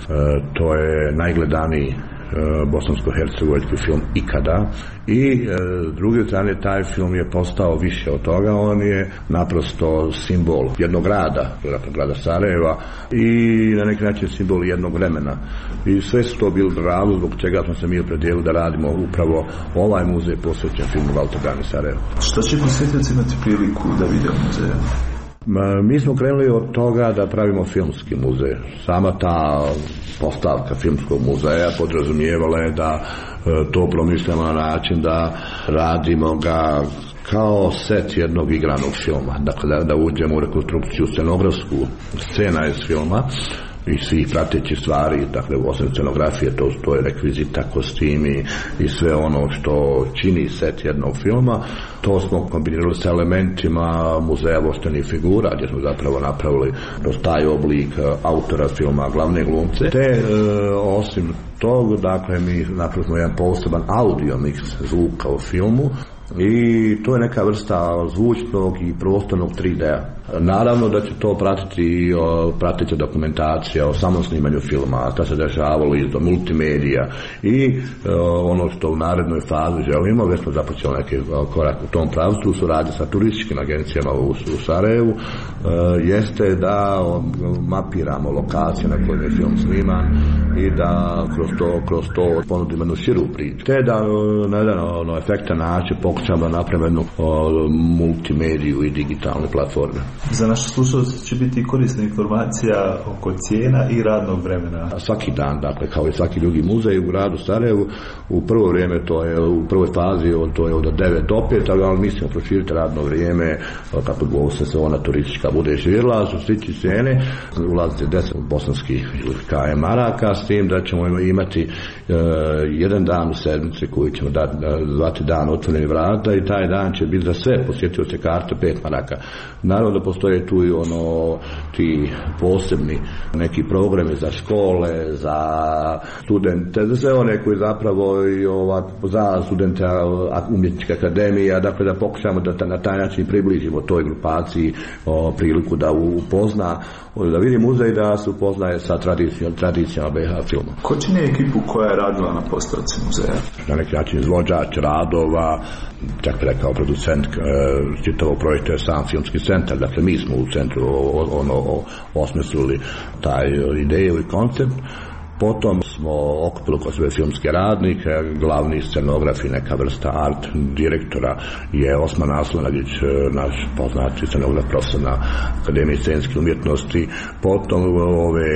to je najgledaniji bosansko-hercegovački film ikada i s druge strane taj film je postao više od toga, on je naprosto simbol jednog grada, grada Sarajeva i na neki način simbol jednog vremena i sve su to bili razlog zbog čega smo se mi opredijelili da radimo upravo ovaj muzej posvećen filmu Valter Brani Sarajevo. Što će posjetioci imati priliku da vide u muzeju? Mi smo krenuli od toga da pravimo filmski muzej. Sama ta postavka filmskog muzeja podrazumijevala je da to promišljamo na način da radimo ga kao set jednog igranog filma. Dakle, da, da uđemo u rekonstrukciju scenografsku scena iz filma i svih pratećih stvari, dakle osim scenografije, to, to je rekvizita, kostimi i sve ono što čini set jednog filma. To smo kombinirali s elementima muzeja voštenih figura, gdje smo zapravo napravili kroz taj oblik autora filma, glavne glumce. Te e, osim tog, dakle mi napravili jedan poseban audio mix zvuka u filmu i to je neka vrsta zvučnog i prostornog tri D-a. Naravno da će to pratiti i prateća dokumentacija o samom snimanju filma, šta se dešavalo iz do multimedija i e, ono što u narednoj fazi želimo, već smo započeli neki korak u tom pravcu u suradnji sa turističkim agencijama u, u Sarajevu, e, jeste da mapiramo lokacije na kojima je film sniman i da kroz to, kroz to ponudimo jednu širu priču. Te da na jedan ono, efektan način pokušamo pokušamo da napravimo jednu multimediju i digitalne platforme. Za naše slušalce će biti korisna informacija oko cijena i radnog vremena. Svaki dan, dakle, kao i svaki drugi muzej u gradu Sarajevu, u prvo vrijeme, to je u prvoj fazi, to je od devet do pet, ali mislimo proširiti radno vrijeme, kako bo se sezona turistička bude širila, su stići cijene, ulazite deset bosanskih K M maraka, s tim da ćemo imati uh, jedan dan u sedmici koji ćemo dati, zvati dan otvoreni vrata, i taj dan će biti za sve posjetioce karta pet maraka. Naravno da postoje tu i ono, ti posebni neki programi za škole, za studente, za sve one koji zapravo i ova, za studente umjetničke akademije, dakle da pokušamo da na taj način približimo toj grupaciji o, priliku da upozna, da vidi muzej, da se upoznaje sa tradicijom, tradicijama B H filma. Ko čini ekipu koja je radila na postavci muzeja? Na neki način izvođač radova, čak bi rekao producent čitavog projekta je sam filmski centar, dakle mi smo u centru ono osmislili taj ideju i koncept. Potom smo okupili oko sve filmske radnike, glavni scenograf i neka vrsta art direktora je Osman Aslanagić, naš poznati scenograf, profesor na Akademiji scenske umjetnosti. Potom ove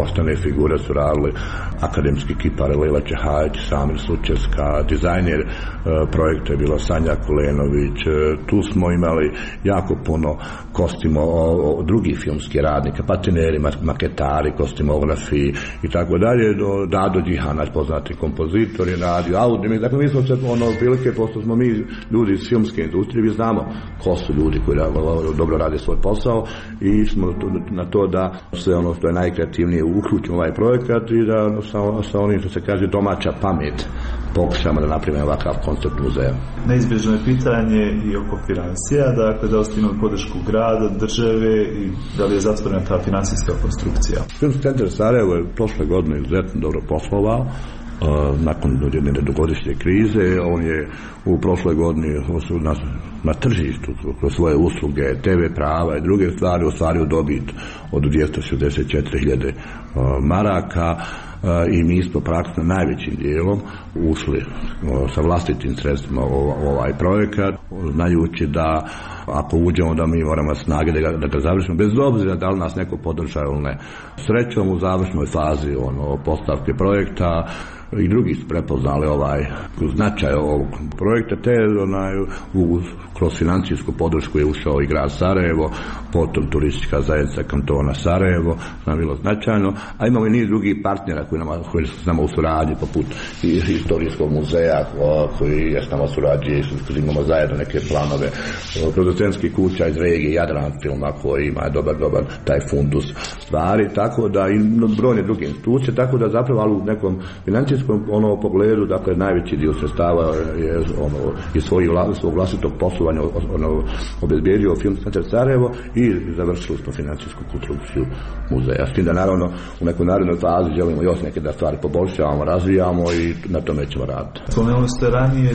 ostane figure su radili akademski kipar Lila Čehajić, Samir Slučevska, dizajner projekta je bila Sanja Kulenović. Tu smo imali jako puno kostimo drugih filmskih radnika, patineri, maketari, kostimografi i tako dalje, do Dado Đihan, naš poznati kompozitor, je radio audio. Dakle, mi smo se ono prilike, pošto smo mi ljudi iz filmske industrije, mi znamo ko su ljudi koji dobro rade svoj posao, i smo na to da sve ono što je najkreativnije uključimo ovaj projekat i da sa, sa onim što se kaže domaća pamet pokušamo da napravimo ovakav koncept muzeja. Neizbježno je pitanje i oko financija, dakle da ste imali podršku grada, države i da li je zatvorena ta financijska konstrukcija. Filmski centar Sarajevo je prošle godine izuzetno dobro poslovao. Uh, nakon jedne dugogodišnje krize, on je u prošloj godini na, na tržištu kroz svoje usluge, te ve prava i druge stvari ostvario dobit od dvjesto šezdeset četiri hiljade uh, maraka. Uh, i mi smo praktično najvećim dijelom ušli uh, sa vlastitim sredstvima u ovaj projekat, znajući da ako uđemo da mi moramo snage da ga, da ga završimo, bez obzira da li nas neko podržava ili ne. Srećom u završnoj fazi ono, postavke projekta i drugi su prepoznali ovaj značaj ovog projekta, te onaj, u, kroz financijsku podršku je ušao i grad Sarajevo, potom turistička zajednica kantona Sarajevo, što nam bilo značajno, a imamo i niz drugih partnera koji, nama, koji su s nama u suradnji, poput Historijskog muzeja koji je s nama surađuje, imamo zajedno neke planove, producentskih kuća iz regije Jadran filma koji ima dobar, dobar taj fundus stvari, tako da i brojne druge institucije, tako da zapravo ali u nekom financijskom ono pogledu, dakle najveći dio sredstava je ono iz svojih svog vlastitog poslovanja ono obezbijedio Filmski centar Sarajevo i završili smo financijsku konstrukciju muzeja. S tim da naravno u nekoj narednoj fazi želimo još neke da stvari poboljšavamo, razvijamo i na tome ćemo raditi. Spomenuli ste ranije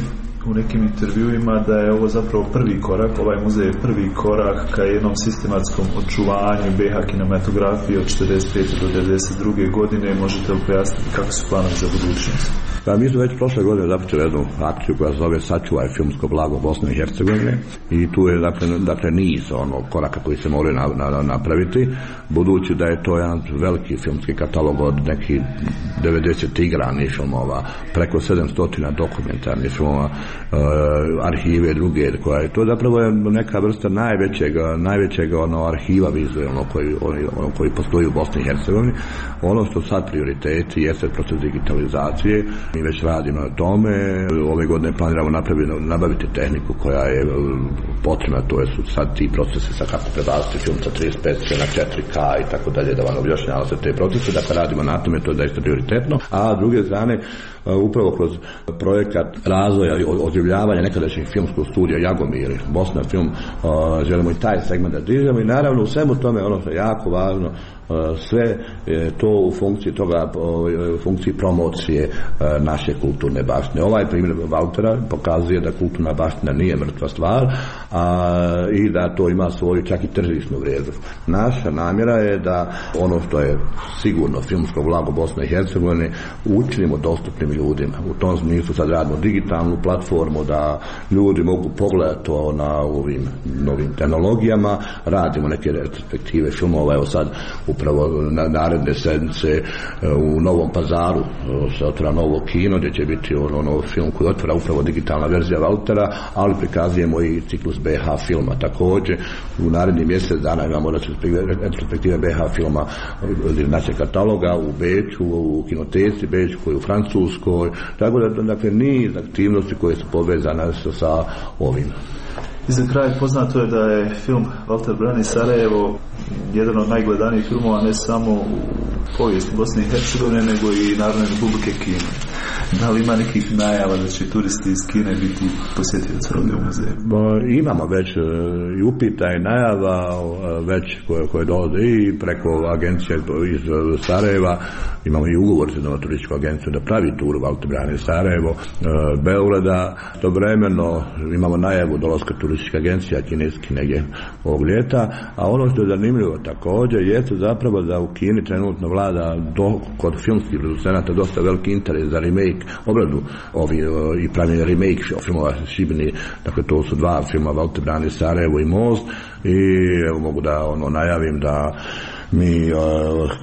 u nekim intervjuima da je ovo zapravo prvi korak, ovaj muzej je prvi korak ka jednom sistematskom očuvanju B H kinematografije od četrdeset pete do devedeset druge godine. Možete li pojasniti kako su planovi za budućnost? Da, mi smo već prošle godine započeli jednu akciju koja se zove Sačuvaj filmsko blago Bosne i Hercegovine i tu je dakle, dakle niz ono, koraka koji se moraju na, na, napraviti, budući da je to jedan veliki filmski katalog od nekih devedeset igranih filmova, preko sedamsto dokumentarnih filmova, Uh, arhive druge koja je to zapravo je neka vrsta najvećeg najvećeg ono arhiva vizualno koji ono koji postoji u Bosni i Hercegovini. Ono što sad prioriteti jeste proces digitalizacije, mi već radimo na tome, ove godine planiramo napraviti, nabaviti tehniku koja je potrebna, to je su sad ti procesi sa kako prebaciti film sa trideset pet na četiri K i tako dalje, da vam objašnjava se te procese, dakle radimo na tome, to je zaista prioritetno, a s druge strane upravo kroz projekat razvoja i oživljavanja nekadašnjeg filmskog studija Jagomir, Bosna film, želimo i taj segment da dižemo i naravno u svemu tome ono što je jako važno, sve to u funkciji toga, u funkciji promocije naše kulturne baštine. Ovaj primjer Valtera pokazuje da kulturna baština nije mrtva stvar, a, i da to ima svoju čak i tržišnu vrijednost. Naša namjera je da ono što je sigurno filmsko blago Bosne i Hercegovine učinimo dostupnim ljudima. U tom smislu sad radimo digitalnu platformu da ljudi mogu pogledati to na ovim novim tehnologijama, radimo neke retrospektive filmova, evo sad upravo na naredne sedmice u Novom Pazaru se otvara novo kino gdje će biti ono, ono film koji otvara upravo digitalna verzija Valtera, ali prikazujemo i ciklus B H filma također. U narednih mjesec dana imamo retrospektive B H filma iz našeg kataloga u Beču, u kinoteci Beču, koji u Francuskoj, tako da dakle niz aktivnosti koje su povezane sa ovim. I za kraj poznato je da je film Valter brani Sarajevo jedan od najgledanijih filmova ne samo u povijesti Bosne i Hercegovine, nego i Narodne Republike Kine. Da li ima nekih najava da će turisti iz Kine biti posjetioci ovdje u muzeju? Imamo već i upita i najava već koje, koje dolaze i preko agencije iz Sarajeva. Imamo i ugovor za novu turističku agenciju da pravi tur Valter brani Sarajevo, Beograda. Istovremeno imamo najavu dolaska turistička agencija kineski negdje ovog ljeta, a ono što je zanimljivo također jeste zapravo da u Kini trenutno vlada do, kod filmskih producenata dosta veliki interes za remake, obradu ovi, i pravljenje remake filmova Šibini, dakle to su dva filma Valter brani Sarajevo i Most, i evo mogu da ono najavim da mi uh,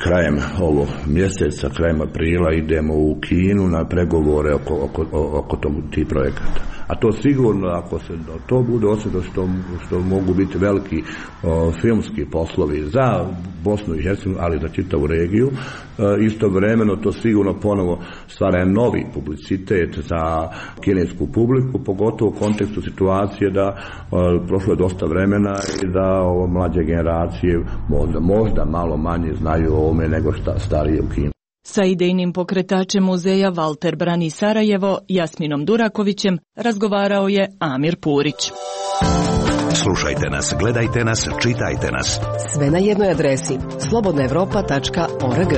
krajem ovog mjeseca, krajem aprila idemo u Kinu na pregovore oko, oko, oko tog, tih projekata. A to sigurno, ako se to bude osjetno što, što mogu biti veliki uh, filmski poslovi za Bosnu i Hercegovinu, ali za čitavu regiju, uh, istovremeno to sigurno ponovo stvara novi publicitet za kinesku publiku, pogotovo u kontekstu situacije da uh, prošlo je dosta vremena i da ovo mlađe generacije možda, možda malo manje znaju o ovome nego šta starije u Kini. Sa idejnim pokretačem muzeja Valter brani Sarajevo, Jasminom Durakovićem, razgovarao je Amir Purić. Slušajte nas, gledajte nas, čitajte nas. Sve na jednoj adresi slobodna evropa tačka org.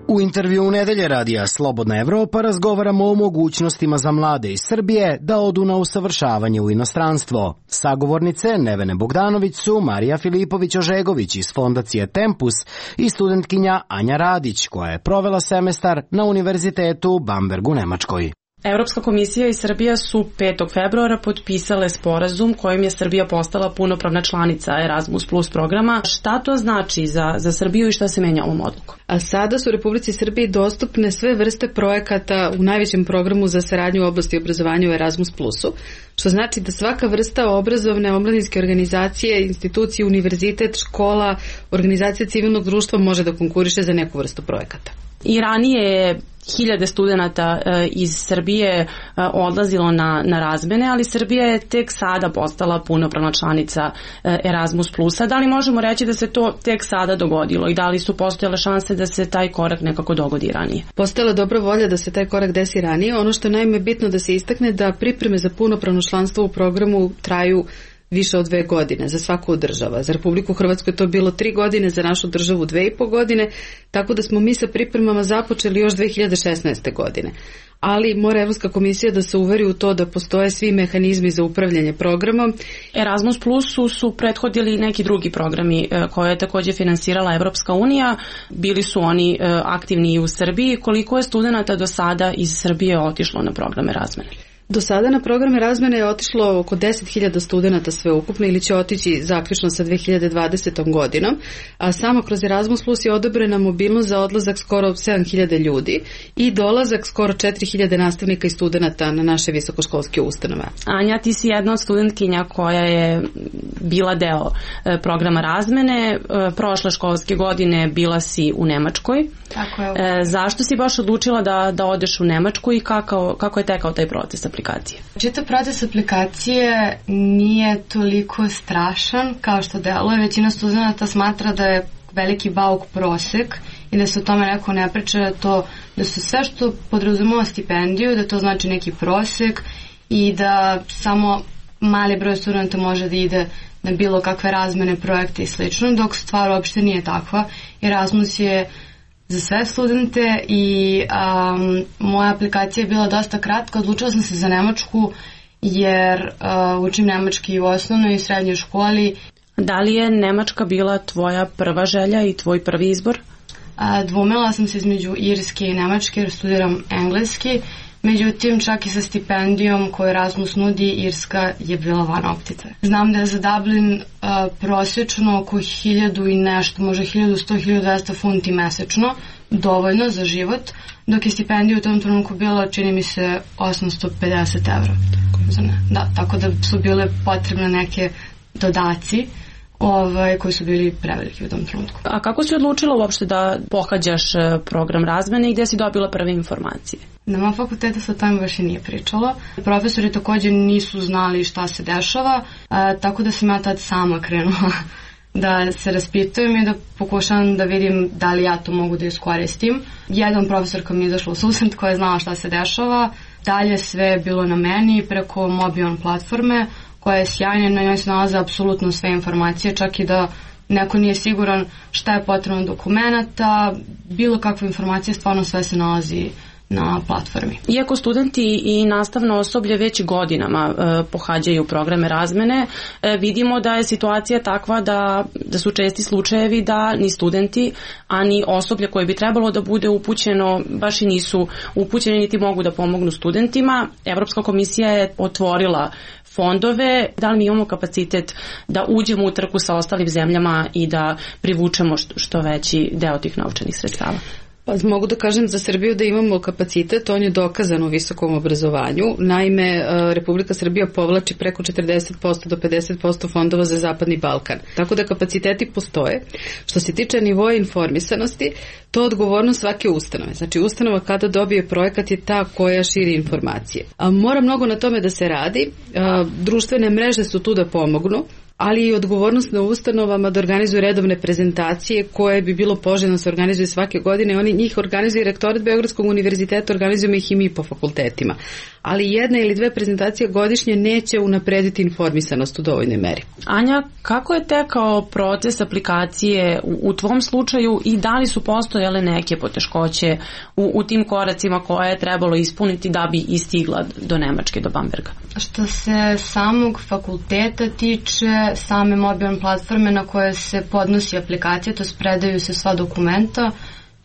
U intervju nedelje radija Slobodna Evropa razgovaramo o mogućnostima za mlade iz Srbije da odu na usavršavanje u inostranstvo. Sagovornice Nevene Bogdanović su Marija Filipović-Ožegović iz Fondacije Tempus i studentkinja Anja Radić, koja je provela semestar na Univerzitetu Bamberg u Nemačkoj. Evropska komisija i Srbija su petog februara potpisale sporazum kojim je Srbija postala punopravna članica Erasmus plus programa. Šta to znači za, za Srbiju i šta se menja ovom odlukom? A sada su u Republici Srbiji dostupne sve vrste projekata u najvećem programu za saradnju u oblasti obrazovanja u Erasmus plusu, što znači da svaka vrsta obrazovne, omladinske organizacije, institucije, univerzitet, škola, organizacija civilnog društva može da konkuriše za neku vrstu projekata. I ranije je hiljade studenata iz Srbije odlazilo na, na razmene, ali Srbija je tek sada postala punopravna članica Erasmus plusa. Da li možemo reći da se to tek sada dogodilo i da li su postojale šanse da se taj korak nekako dogodi ranije? Postojala dobra volja da se taj korak desi ranije. Ono što je naime bitno da se istakne da pripreme za punopravno članstvo u programu traju više od dve godine za svaku od država. Za Republiku Hrvatsku je to bilo tri godine, za našu državu dve i po godine, tako da smo mi sa pripremama započeli još dve hiljade šesnaeste. godine. Ali mora Evropska komisija da se uveri u to da postoje svi mehanizmi za upravljanje programom. Erasmus Plusu su prethodili neki drugi programi koje je također finansirala Evropska unija. Bili su oni aktivni i u Srbiji. Koliko je studenata do sada iz Srbije otišlo na programe razmene? Do sada na programe razmene je otišlo oko deset hiljada studenata sveukupno ili će otići zaključno sa dve hiljade dvadesetom. godinom, a samo kroz Erasmus Plus je odobrena mobilnost za odlazak skoro sedam hiljada ljudi i dolazak skoro četiri hiljade nastavnika i studenata na naše visokoškolske ustanove. Anja, ti si jedna od studentkinja koja je bila deo programa razmene. Prošle školske godine bila si u Nemačkoj. Tako je. E, zašto si baš odlučila da, da odeš u Nemačku i kako, kako je tekao taj proces aplikacije? Čitav proces aplikacije nije toliko strašan kao što deluje. Većina studenta smatra da je veliki bauk prosek i da se o tome neko ne priča, da, to, da su sve što podrazumeva stipendiju, da to znači neki prosek i da samo mali broj studenta može da ide na bilo kakve razmene projekte i slično, dok stvar uopšte nije takva. Erasmus je za sve studente i um, moja aplikacija je bila dosta kratka. Odlučila sam se za Nemačku jer uh, učim nemački u osnovnoj i srednjoj školi. Da li je Nemačka bila tvoja prva želja i tvoj prvi izbor? Uh, dvomila sam se između Irske i Nemačke jer studiram engleski. Međutim, čak i sa stipendijom koju Erasmus nudi, Irska je bila van optice. Znam da je za Dublin uh, prosječno oko hiljadu i nešto, može hiljadu sto do hiljadu dvesta funti mesečno, dovoljno za život, dok je stipendija u tom trenutku bila, čini mi se, osamsto pedeset evra. Da, tako da su bile potrebne neke dodaci ovaj, koji su bili preveliki u tom trenutku. A kako si odlučila uopšte da pohađaš program razmene i gdje si dobila prve informacije? Na mojom fakultetu se o tome baš i nije pričalo. Profesori također nisu znali šta se dešava, a, tako da sam ja tad sama krenula da se raspitujem i da pokušam da vidim da li ja to mogu da iskoristim. Jedan profesorka mi je izašla u susret koja je znala šta se dešava. Dalje sve je bilo na meni preko Mobion platforme koja je sjajna, na njoj se nalaze apsolutno sve informacije, čak i da neko nije siguran šta je potrebno dokumenata, bilo kakve informacije, stvarno sve se nalazi na platformi. Iako studenti i nastavno osoblje već godinama e, pohađaju programe razmene, e, vidimo da je situacija takva da, da su česti slučajevi da ni studenti, a ni osoblje koje bi trebalo da bude upućeno baš i nisu upućeni niti mogu da pomognu studentima. Evropska komisija je otvorila fondove, da li mi imamo kapacitet da uđemo u trku sa ostalim zemljama i da privučemo što, što veći deo tih novčanih sredstava? Pa mogu da kažem za Srbiju da imamo kapacitet, on je dokazan u visokom obrazovanju. Naime, Republika Srbija povlači preko četrdeset posto do pedeset posto fondova za Zapadni Balkan. Tako da kapaciteti postoje. Što se tiče nivoa informisanosti, to je odgovornost svake ustanove. Znači ustanova kada dobije projekat je ta koja širi informacije. A mora mnogo na tome da se radi. A, društvene mreže su tu da pomognu, ali i odgovornost na ustanovama da organizuju redovne prezentacije koje bi bilo poželjno da se organizuju svake godine. Oni njih organizuju rektorat Beogradskog univerziteta, organizujemo ih i mi po fakultetima. Ali jedna ili dve prezentacije godišnje neće unaprediti informisanost u dovoljnoj meri. Anja, kako je tekao proces aplikacije u, u tvom slučaju i da li su postojale neke poteškoće u, u tim koracima koje je trebalo ispuniti da bi istigla do Nemačke, do Bamberga? Što se samog fakulteta tiče, same mobilne platforme na koje se podnosi aplikacija, to predaju se sva dokumenta,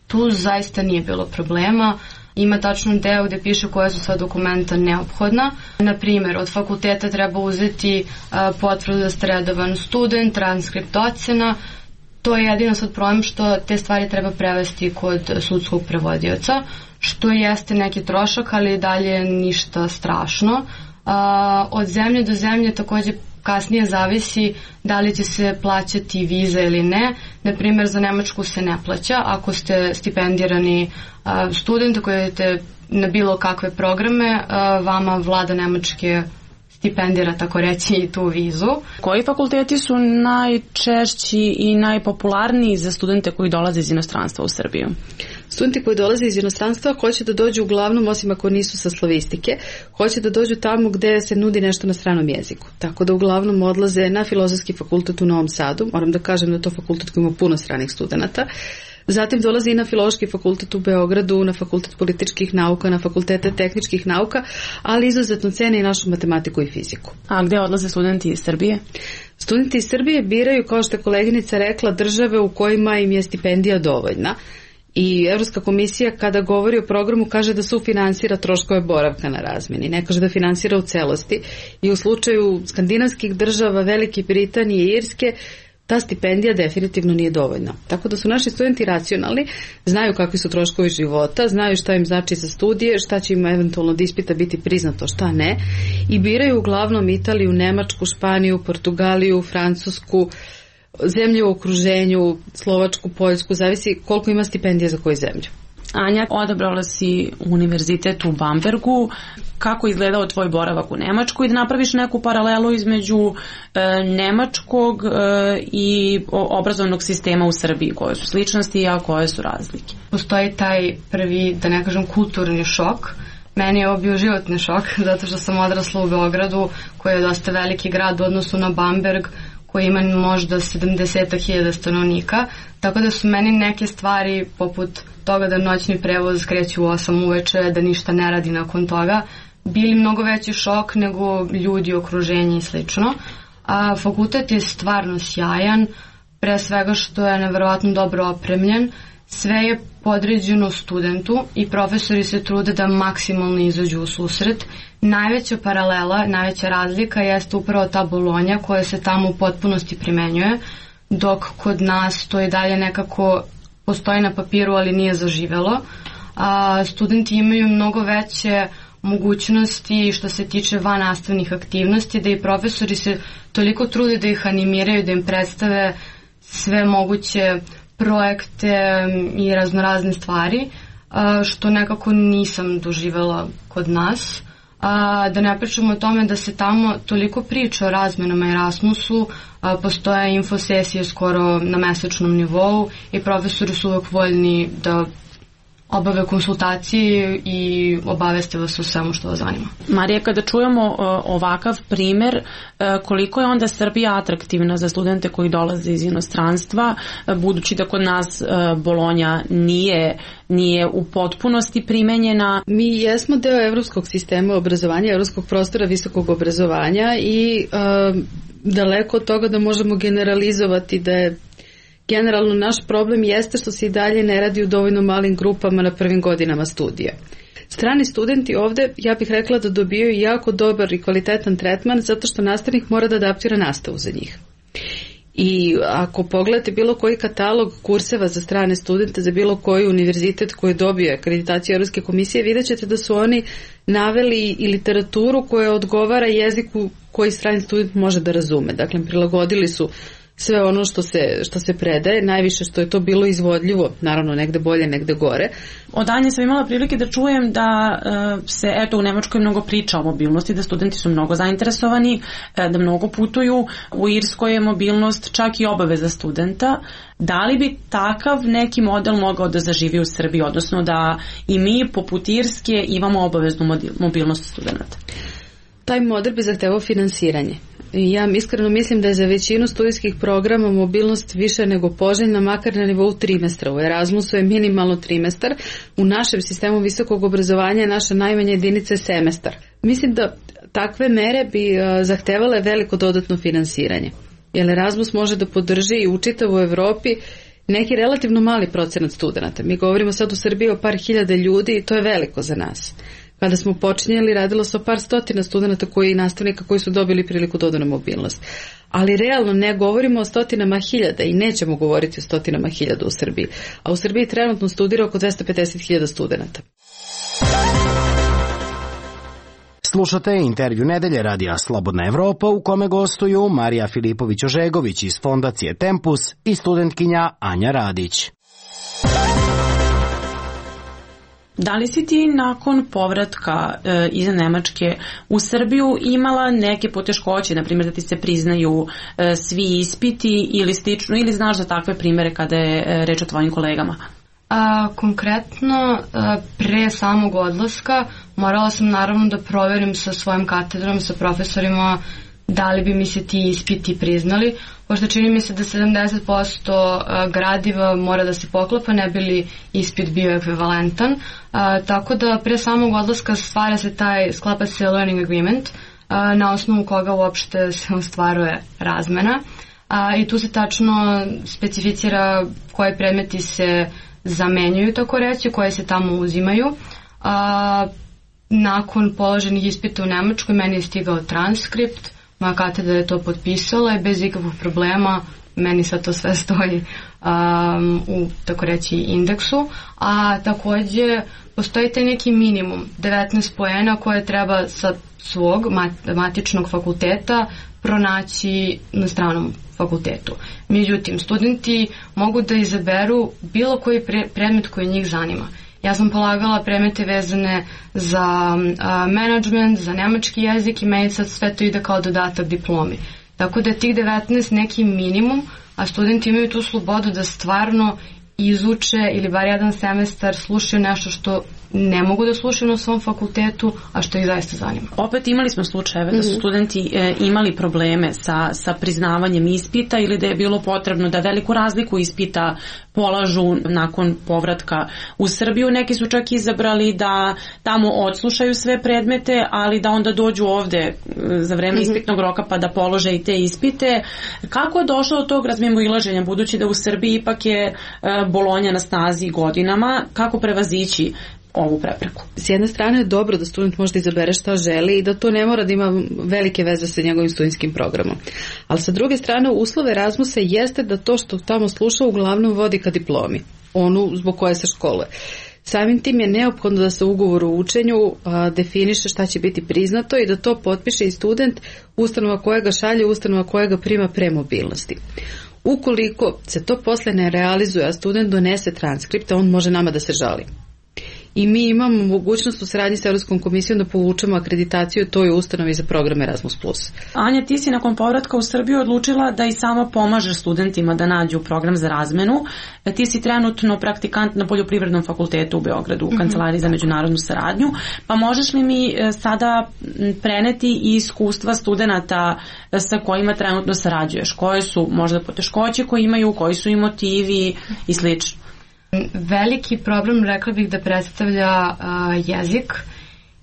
tu zaista nije bilo problema. Ima tačno deo gde piše koja su sva dokumenta neophodna. Na primjer, od fakulteta treba uzeti a, potvrdu da ste redovan student, transkript ocena. To je jedino sad problem što te stvari treba prevesti kod sudskog prevodioca, što jeste neki trošak, ali dalje ništa strašno. A, od zemlje do zemlje također kasnije zavisi da li će se plaćati viza ili ne. Na primjer, za Nemačku se ne plaća. Ako ste stipendirani student koji idete na bilo kakve programe, vama vlada Nemačke stipendira, tako reći, i tu vizu. Koji fakulteti su najčešći i najpopularniji za studente koji dolaze iz inostranstva u Srbiju? Studenti koji dolaze iz inostranstva hoće da dođu uglavnom, osim ako nisu sa slavistike, hoće da dođu tamo gde se nudi nešto na stranom jeziku. Tako da uglavnom odlaze na Filozofski fakultet u Novom Sadu. Moram da kažem da to fakultet koji ima puno stranih studenata. Zatim dolazi i na Filološki fakultet u Beogradu, na Fakultet političkih nauka, na Fakultete tehničkih nauka, ali izuzetno cene i našu matematiku i fiziku. A gde odlaze studenti iz Srbije? Studenti iz Srbije biraju, kao što je koleginica rekla, države u kojima im je stipendija dovoljna. I Evropska komisija kada govori o programu kaže da sufinansira troškove boravka na razmeni, ne kaže da finansira u celosti. I u slučaju skandinavskih država, Velike Britanije i Irske, ta stipendija definitivno nije dovoljna. Tako da su naši studenti racionalni, znaju kakvi su troškovi života, znaju šta im znači za studije, šta će im eventualno od ispita biti priznato, šta ne, i biraju uglavnom Italiju, Nemačku, Španiju, Portugaliju, Francusku, zemlje u okruženju, Slovačku, Poljsku, zavisi koliko ima stipendija za koju zemlju. Anja, odabrala si univerzitet u Bambergu. Kako je izgledao tvoj boravak u Nemačku i da napraviš neku paralelu između e, nemačkog e, i obrazovnog sistema u Srbiji? Koje su sličnosti, a koje su razlike? Postoji taj prvi, da ne kažem, kulturni šok. Meni je ovo bio životni šok, zato što sam odrasla u Beogradu, koji je dosta veliki grad u odnosu na Bamberg, koji koji ima možda sedamdeset hiljada stanovnika, tako da su meni neke stvari poput toga da noćni prevoz kreće u osam uveče, da ništa ne radi nakon toga, bili mnogo veći šok nego ljudi, okruženje i slično. A fakultet je stvarno sjajan, pre svega što je neverovatno dobro opremljen, sve je podređeno studentu i profesori se trude da maksimalno izađu u susret. Najveća paralela, najveća razlika jeste upravo ta Bolonja koja se tamo u potpunosti primenjuje, dok kod nas to i dalje nekako postoji na papiru, ali nije zaživelo. A, studenti imaju mnogo veće mogućnosti što se tiče vannastavnih aktivnosti, da i profesori se toliko trude da ih animiraju, da im predstave sve moguće projekte i raznorazne stvari, što nekako nisam doživela kod nas. Da ne pričamo o tome da se tamo toliko priča o razmenama Erasmusu, postoje infosesije skoro na mesečnom nivou i profesori su uvek voljni da obave konsultacije i obaveste vas o svemu što vas zanima. Marija, kada čujemo ovakav primer, koliko je onda Srbija atraktivna za studente koji dolaze iz inostranstva, budući da kod nas Bolonja nije, nije u potpunosti primenjena? Mi jesmo deo evropskog sistema obrazovanja, evropskog prostora visokog obrazovanja i uh, daleko od toga da možemo generalizovati da je generalno naš problem jeste što se i dalje ne radi u dovoljno malim grupama na prvim godinama studija. Strani studenti ovde, ja bih rekla da dobijaju jako dobar i kvalitetan tretman zato što nastavnik mora da adaptira nastavu za njih. I ako pogledate bilo koji katalog kurseva za strane studente, za bilo koji univerzitet koji dobije akreditaciju Evropske komisije, vidjet ćete da su oni naveli i literaturu koja odgovara jeziku koji strani student može da razume. Dakle, prilagodili su sve ono što se, što se predaje, najviše što je to bilo izvodljivo, naravno negde bolje, negde gore. Od Anje sam imala prilike da čujem da uh, se eto u Nemačkoj mnogo priča o mobilnosti, da studenti su mnogo zainteresovani, da mnogo putuju. U Irskoj je mobilnost čak i obaveza studenta. Da li bi takav neki model mogao da zaživi u Srbiji, odnosno da i mi poput Irske imamo obaveznu mobilnost studenta? Taj model bi zahtevao finansiranje. Ja iskreno mislim da je za većinu studijskih programa mobilnost više nego poželjna, makar na nivou trimestra. U Erasmusu je minimalno trimestar, u našem sistemu visokog obrazovanja je naša najmanja jedinica semestar. Mislim da takve mere bi zahtevale veliko dodatno finansiranje, jer Erasmus može da podrži i u čitavoj Evropi neki relativno mali procenat studenta. Mi govorimo sad u Srbiji o par hiljada ljudi i to je veliko za nas. Kada smo počinjeli, radilo se o par stotina studenta koji, nastavnika koji su dobili priliku dodanu mobilnost. Ali realno ne govorimo o stotinama hiljada i nećemo govoriti o stotinama hiljada u Srbiji. A u Srbiji trenutno studira oko dvesta pedeset hiljada studenta. Slušate intervju nedelje Radija Slobodna Evropa u kome gostuju Marija Filipović-Ožegović iz Fondacije Tempus i studentkinja Anja Radić. Da li si ti nakon povratka e, iz Nemačke u Srbiju imala neke poteškoće, na primjer da ti se priznaju e, svi ispiti ili slično, ili znaš za takve primere kada je e, reč o tvojim kolegama? A, konkretno, a, pre samog odlaska morala sam naravno da proverim sa svojim katedrom, sa profesorima da li bi mi se ti ispiti priznali, pošto čini mi se da sedamdeset posto gradiva mora da se poklapa, ne bi li ispit bio ekvivalentan, a, tako da pre samog odlaska stvara se taj, sklapa se learning agreement, a, na osnovu koga uopšte se ostvaruje razmena, a, i tu se tačno specificira koji predmeti se zamenjuju, tako reći, koje se tamo uzimaju. A, nakon položenih ispita u Nemačkoj meni je stigao transkript, moja katedra je to potpisala i bez ikakvog problema meni sad to sve stoji um, u, tako reći, indeksu. A takođe postoji taj neki minimum, devetnaest poena koje treba sa svog matičnog fakulteta pronaći na stranom fakultetu. Međutim, studenti mogu da izaberu bilo koji pre, predmet koji njih zanima. Ja sam polagala predmete vezane za a, management, za nemački jezik i meni sad sve to ide kao dodatak diplomi. Tako da je tih devetnaest neki minimum, a studenti imaju tu slobodu da stvarno izuče ili bar jedan semestar slušaju nešto što ne mogu da slušaju na svom fakultetu, a što ih zaista zanima. Opet imali smo slučajeve da su studenti e, imali probleme sa, sa priznavanjem ispita ili da je bilo potrebno da veliku razliku ispita polažu nakon povratka u Srbiju. Neki su čak izabrali da tamo odslušaju sve predmete, ali da onda dođu ovde za vreme mm-hmm. ispitnog roka pa da polože i te ispite. Kako je došlo do tog razmimoilaženja, budući da u Srbiji ipak je e, Bolonja na snazi godinama, kako prevazići ovu prepreku? S jedne strane je dobro da student može da izabere šta želi i da to ne mora da ima velike veze sa njegovim studentskim programom. Ali sa druge strane uslov Erasmusa jeste da to što tamo sluša uglavnom vodi ka diplomi, onu zbog koje se školuje. Samim tim je neophodno da se u ugovoru o učenju a, definiše šta će biti priznato i da to potpiše i student, ustanova koja ga šalje, ustanova koja ga prima pre mobilnosti. Ukoliko se to posle ne realizuje, a student donese transkripte, on može nama da se žali. I mi imamo mogućnost u saradnji sa Evropskom komisijom da povučemo akreditaciju toj ustanovi za program Erasmus plus. Anja, ti si nakon povratka u Srbiju odlučila da i sama pomažeš studentima da nađu program za razmenu. Ti si trenutno praktikant na Poljoprivrednom fakultetu u Beogradu u Kancelariji za međunarodnu saradnju. Pa možeš li mi sada preneti i iskustva studenata sa kojima trenutno sarađuješ? Koje su možda poteškoće koje imaju, koji su i motivi i slično? Veliki problem, rekla bih, da predstavlja uh, jezik,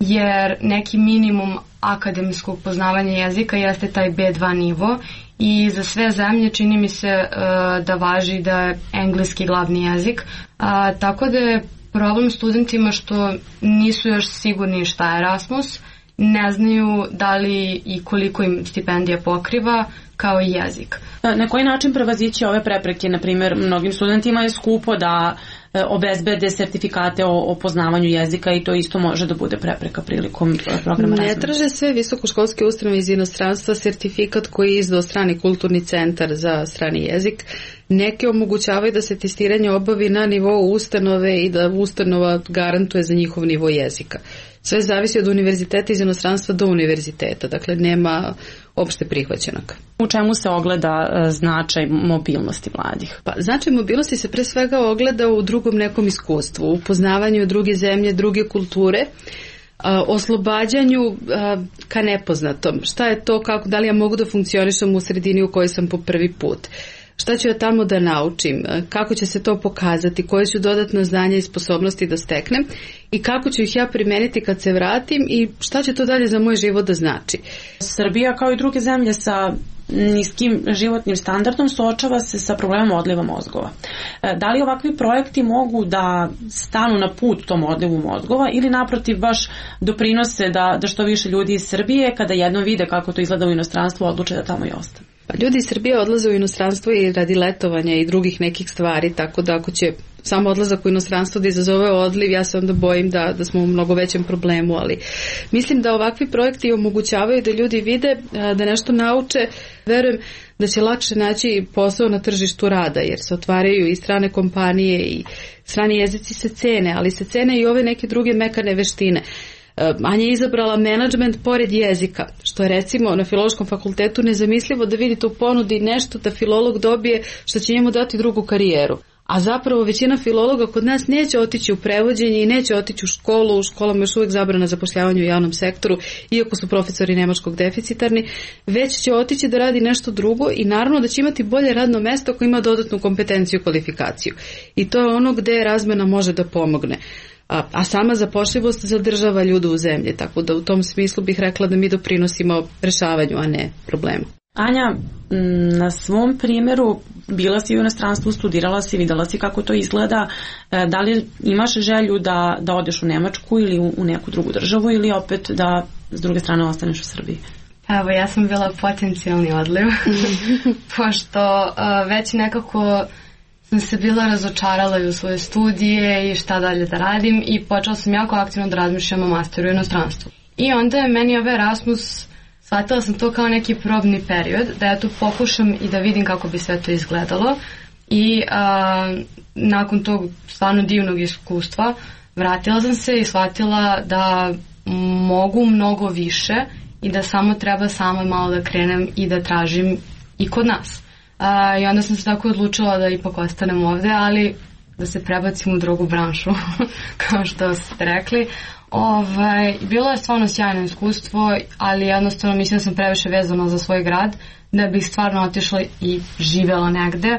jer neki minimum akademskog poznavanja jezika jeste taj be dva nivo i za sve zemlje čini mi se uh, da važi da je engleski glavni jezik, uh, tako da je problem studentima što nisu još sigurni šta je Erasmus, ne znaju da li i koliko im stipendija pokriva, kao i jezik. Na koji način prevazići ove prepreke? Na primjer, mnogim studentima je skupo da obezbede sertifikate o, o poznavanju jezika i to isto može da bude prepreka prilikom programa razmene. Ne traže sve visokoškolske ustanove iz inostranstva sertifikat koji je izdao strani kulturni centar za strani jezik. Neke omogućavaju da se testiranje obavi na nivou ustanove i da ustanova garantuje za njihov nivo jezika. Sve zavisi od univerziteta iz inostranstva do univerziteta, dakle nema opšte prihvaćenog. U čemu se ogleda značaj mobilnosti mladih? Pa, značaj mobilnosti se pre svega ogleda u drugom nekom iskustvu, u poznavanju druge zemlje, druge kulture, oslobađanju ka nepoznatom. Šta je to, kako, da li ja mogu da funkcionišem u sredini u kojoj sam po prvi put? Šta ću ja tamo da naučim, kako će se to pokazati, koje ću dodatna znanja i sposobnosti da steknem i kako ću ih ja primeniti kad se vratim i šta će to dalje za moj život da znači. Srbija kao i druge zemlje sa niskim životnim standardom suočava se sa problemom odliva mozgova. Da li ovakvi projekti mogu da stanu na put tom odlivu mozgova ili naprotiv baš doprinose da, da što više ljudi iz Srbije kada jednom vide kako to izgleda u inostranstvu odluče da tamo i ostane? Pa ljudi iz Srbije odlaze u inostranstvo i radi letovanja i drugih nekih stvari, tako da ako će samo odlazak u inostranstvo da izazove odliv, ja se onda bojim da, da smo u mnogo većem problemu, ali mislim da ovakvi projekti omogućavaju da ljudi vide, da nešto nauče, verujem da će lakše naći posao na tržištu rada, jer se otvaraju i strane kompanije i strani jezici se cene, ali se cene i ove neke druge mekane veštine. Anja je izabrala menadžment pored jezika, što je recimo na Filološkom fakultetu nezamislivo da vidite u ponudi nešto da filolog dobije što će njemu dati drugu karijeru. A zapravo većina filologa kod nas neće otići u prevođenje i neće otići u školu, u školama još uvijek zabrana zapošljavanja u javnom sektoru, iako su profesori nemačkog deficitarni, već će otići da radi nešto drugo i naravno da će imati bolje radno mesto ako ima dodatnu kompetenciju i kvalifikaciju. I to je ono gde razmena može da pomogne. A, a sama zapošljivost zadržava ljude u zemlji, tako da u tom smislu bih rekla da mi doprinosimo rešavanju, a ne problemu. Anja, na svom primjeru bila si u inostranstvu, studirala si, videla si kako to izgleda. Da li imaš želju da, da odeš u Nemačku ili u, u neku drugu državu ili opet da s druge strane ostaneš u Srbiji? Evo, ja sam bila potencijalni odliv, pošto uh, već nekako sam se bila razočarala i u svoje studije i šta dalje da radim i počela sam jako aktivno da razmišljam o masteru u inostranstvu. I onda je meni ovaj Erasmus, shvatila sam to kao neki probni period, da ja tu pokušam i da vidim kako bi sve to izgledalo i a, nakon tog stvarno divnog iskustva vratila sam se i shvatila da mogu mnogo više i da samo treba samo malo da krenem i da tražim i kod nas. Uh, I onda sam se tako odlučila da ipak ostanem ovde, ali da se prebacim u drugu branšu, kao što ste rekli. Ovaj, bilo je stvarno sjajno iskustvo, ali jednostavno mislim da sam previše vezana za svoj grad, da bih stvarno otišla i živela negde.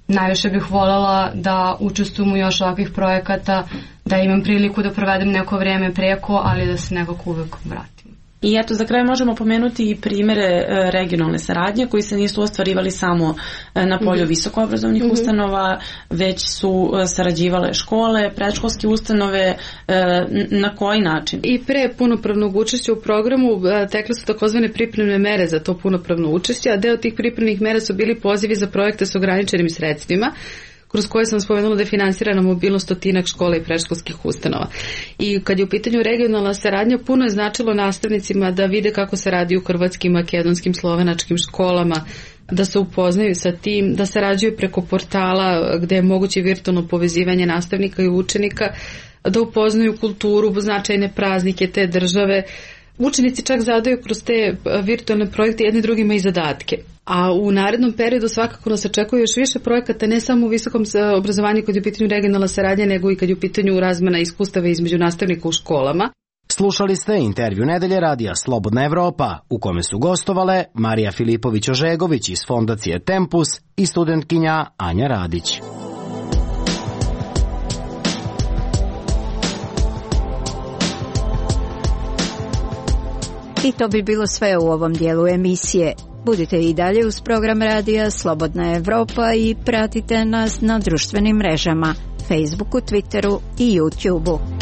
Najviše bih voljela da učestvujem u još ovakvih projekata, da imam priliku da provedem neko vrijeme preko, ali da se nekako uvek vratim. I eto, za kraj možemo pomenuti i primere regionalne saradnje koji se nisu ostvarivali samo na polju mm-hmm. visokoobrazovnih mm-hmm. ustanova, već su sarađivale škole, predškolske ustanove, na koji način? I pre punopravnog učešća u programu tekle su takozvane pripremne mere za to punopravno učešće, a deo tih pripremnih mera su bili pozivi za projekte s ograničenim sredstvima, kroz koje sam spomenula da je finansirana mobilnost stotinak škola i predškolskih ustanova. I kad je u pitanju regionalna saradnja, puno je značilo nastavnicima da vide kako se radi u hrvatskim, makedonskim, slovenačkim školama, da se upoznaju sa tim, da sarađuju preko portala gde je moguće virtualno povezivanje nastavnika i učenika, da upoznaju kulturu, značajne praznike te države. Učenici čak zadaju kroz te virtualne projekte jedni drugima i zadatke. A u narednom periodu svakako nas očekuje još više projekata, ne samo u visokom obrazovanju kad je u pitanju regionalna saradnja, nego i kad je u pitanju razmena iskustava između nastavnika u školama. Slušali ste intervju nedelje radija Slobodna Evropa, u kome su gostovale Marija Filipović-Ožegović iz Fondacije Tempus i studentkinja Anja Radić. I to bi bilo sve u ovom dijelu emisije. Budite i dalje uz program radija Slobodna Evropa i pratite nas na društvenim mrežama, Facebooku, Twitteru i YouTubeu.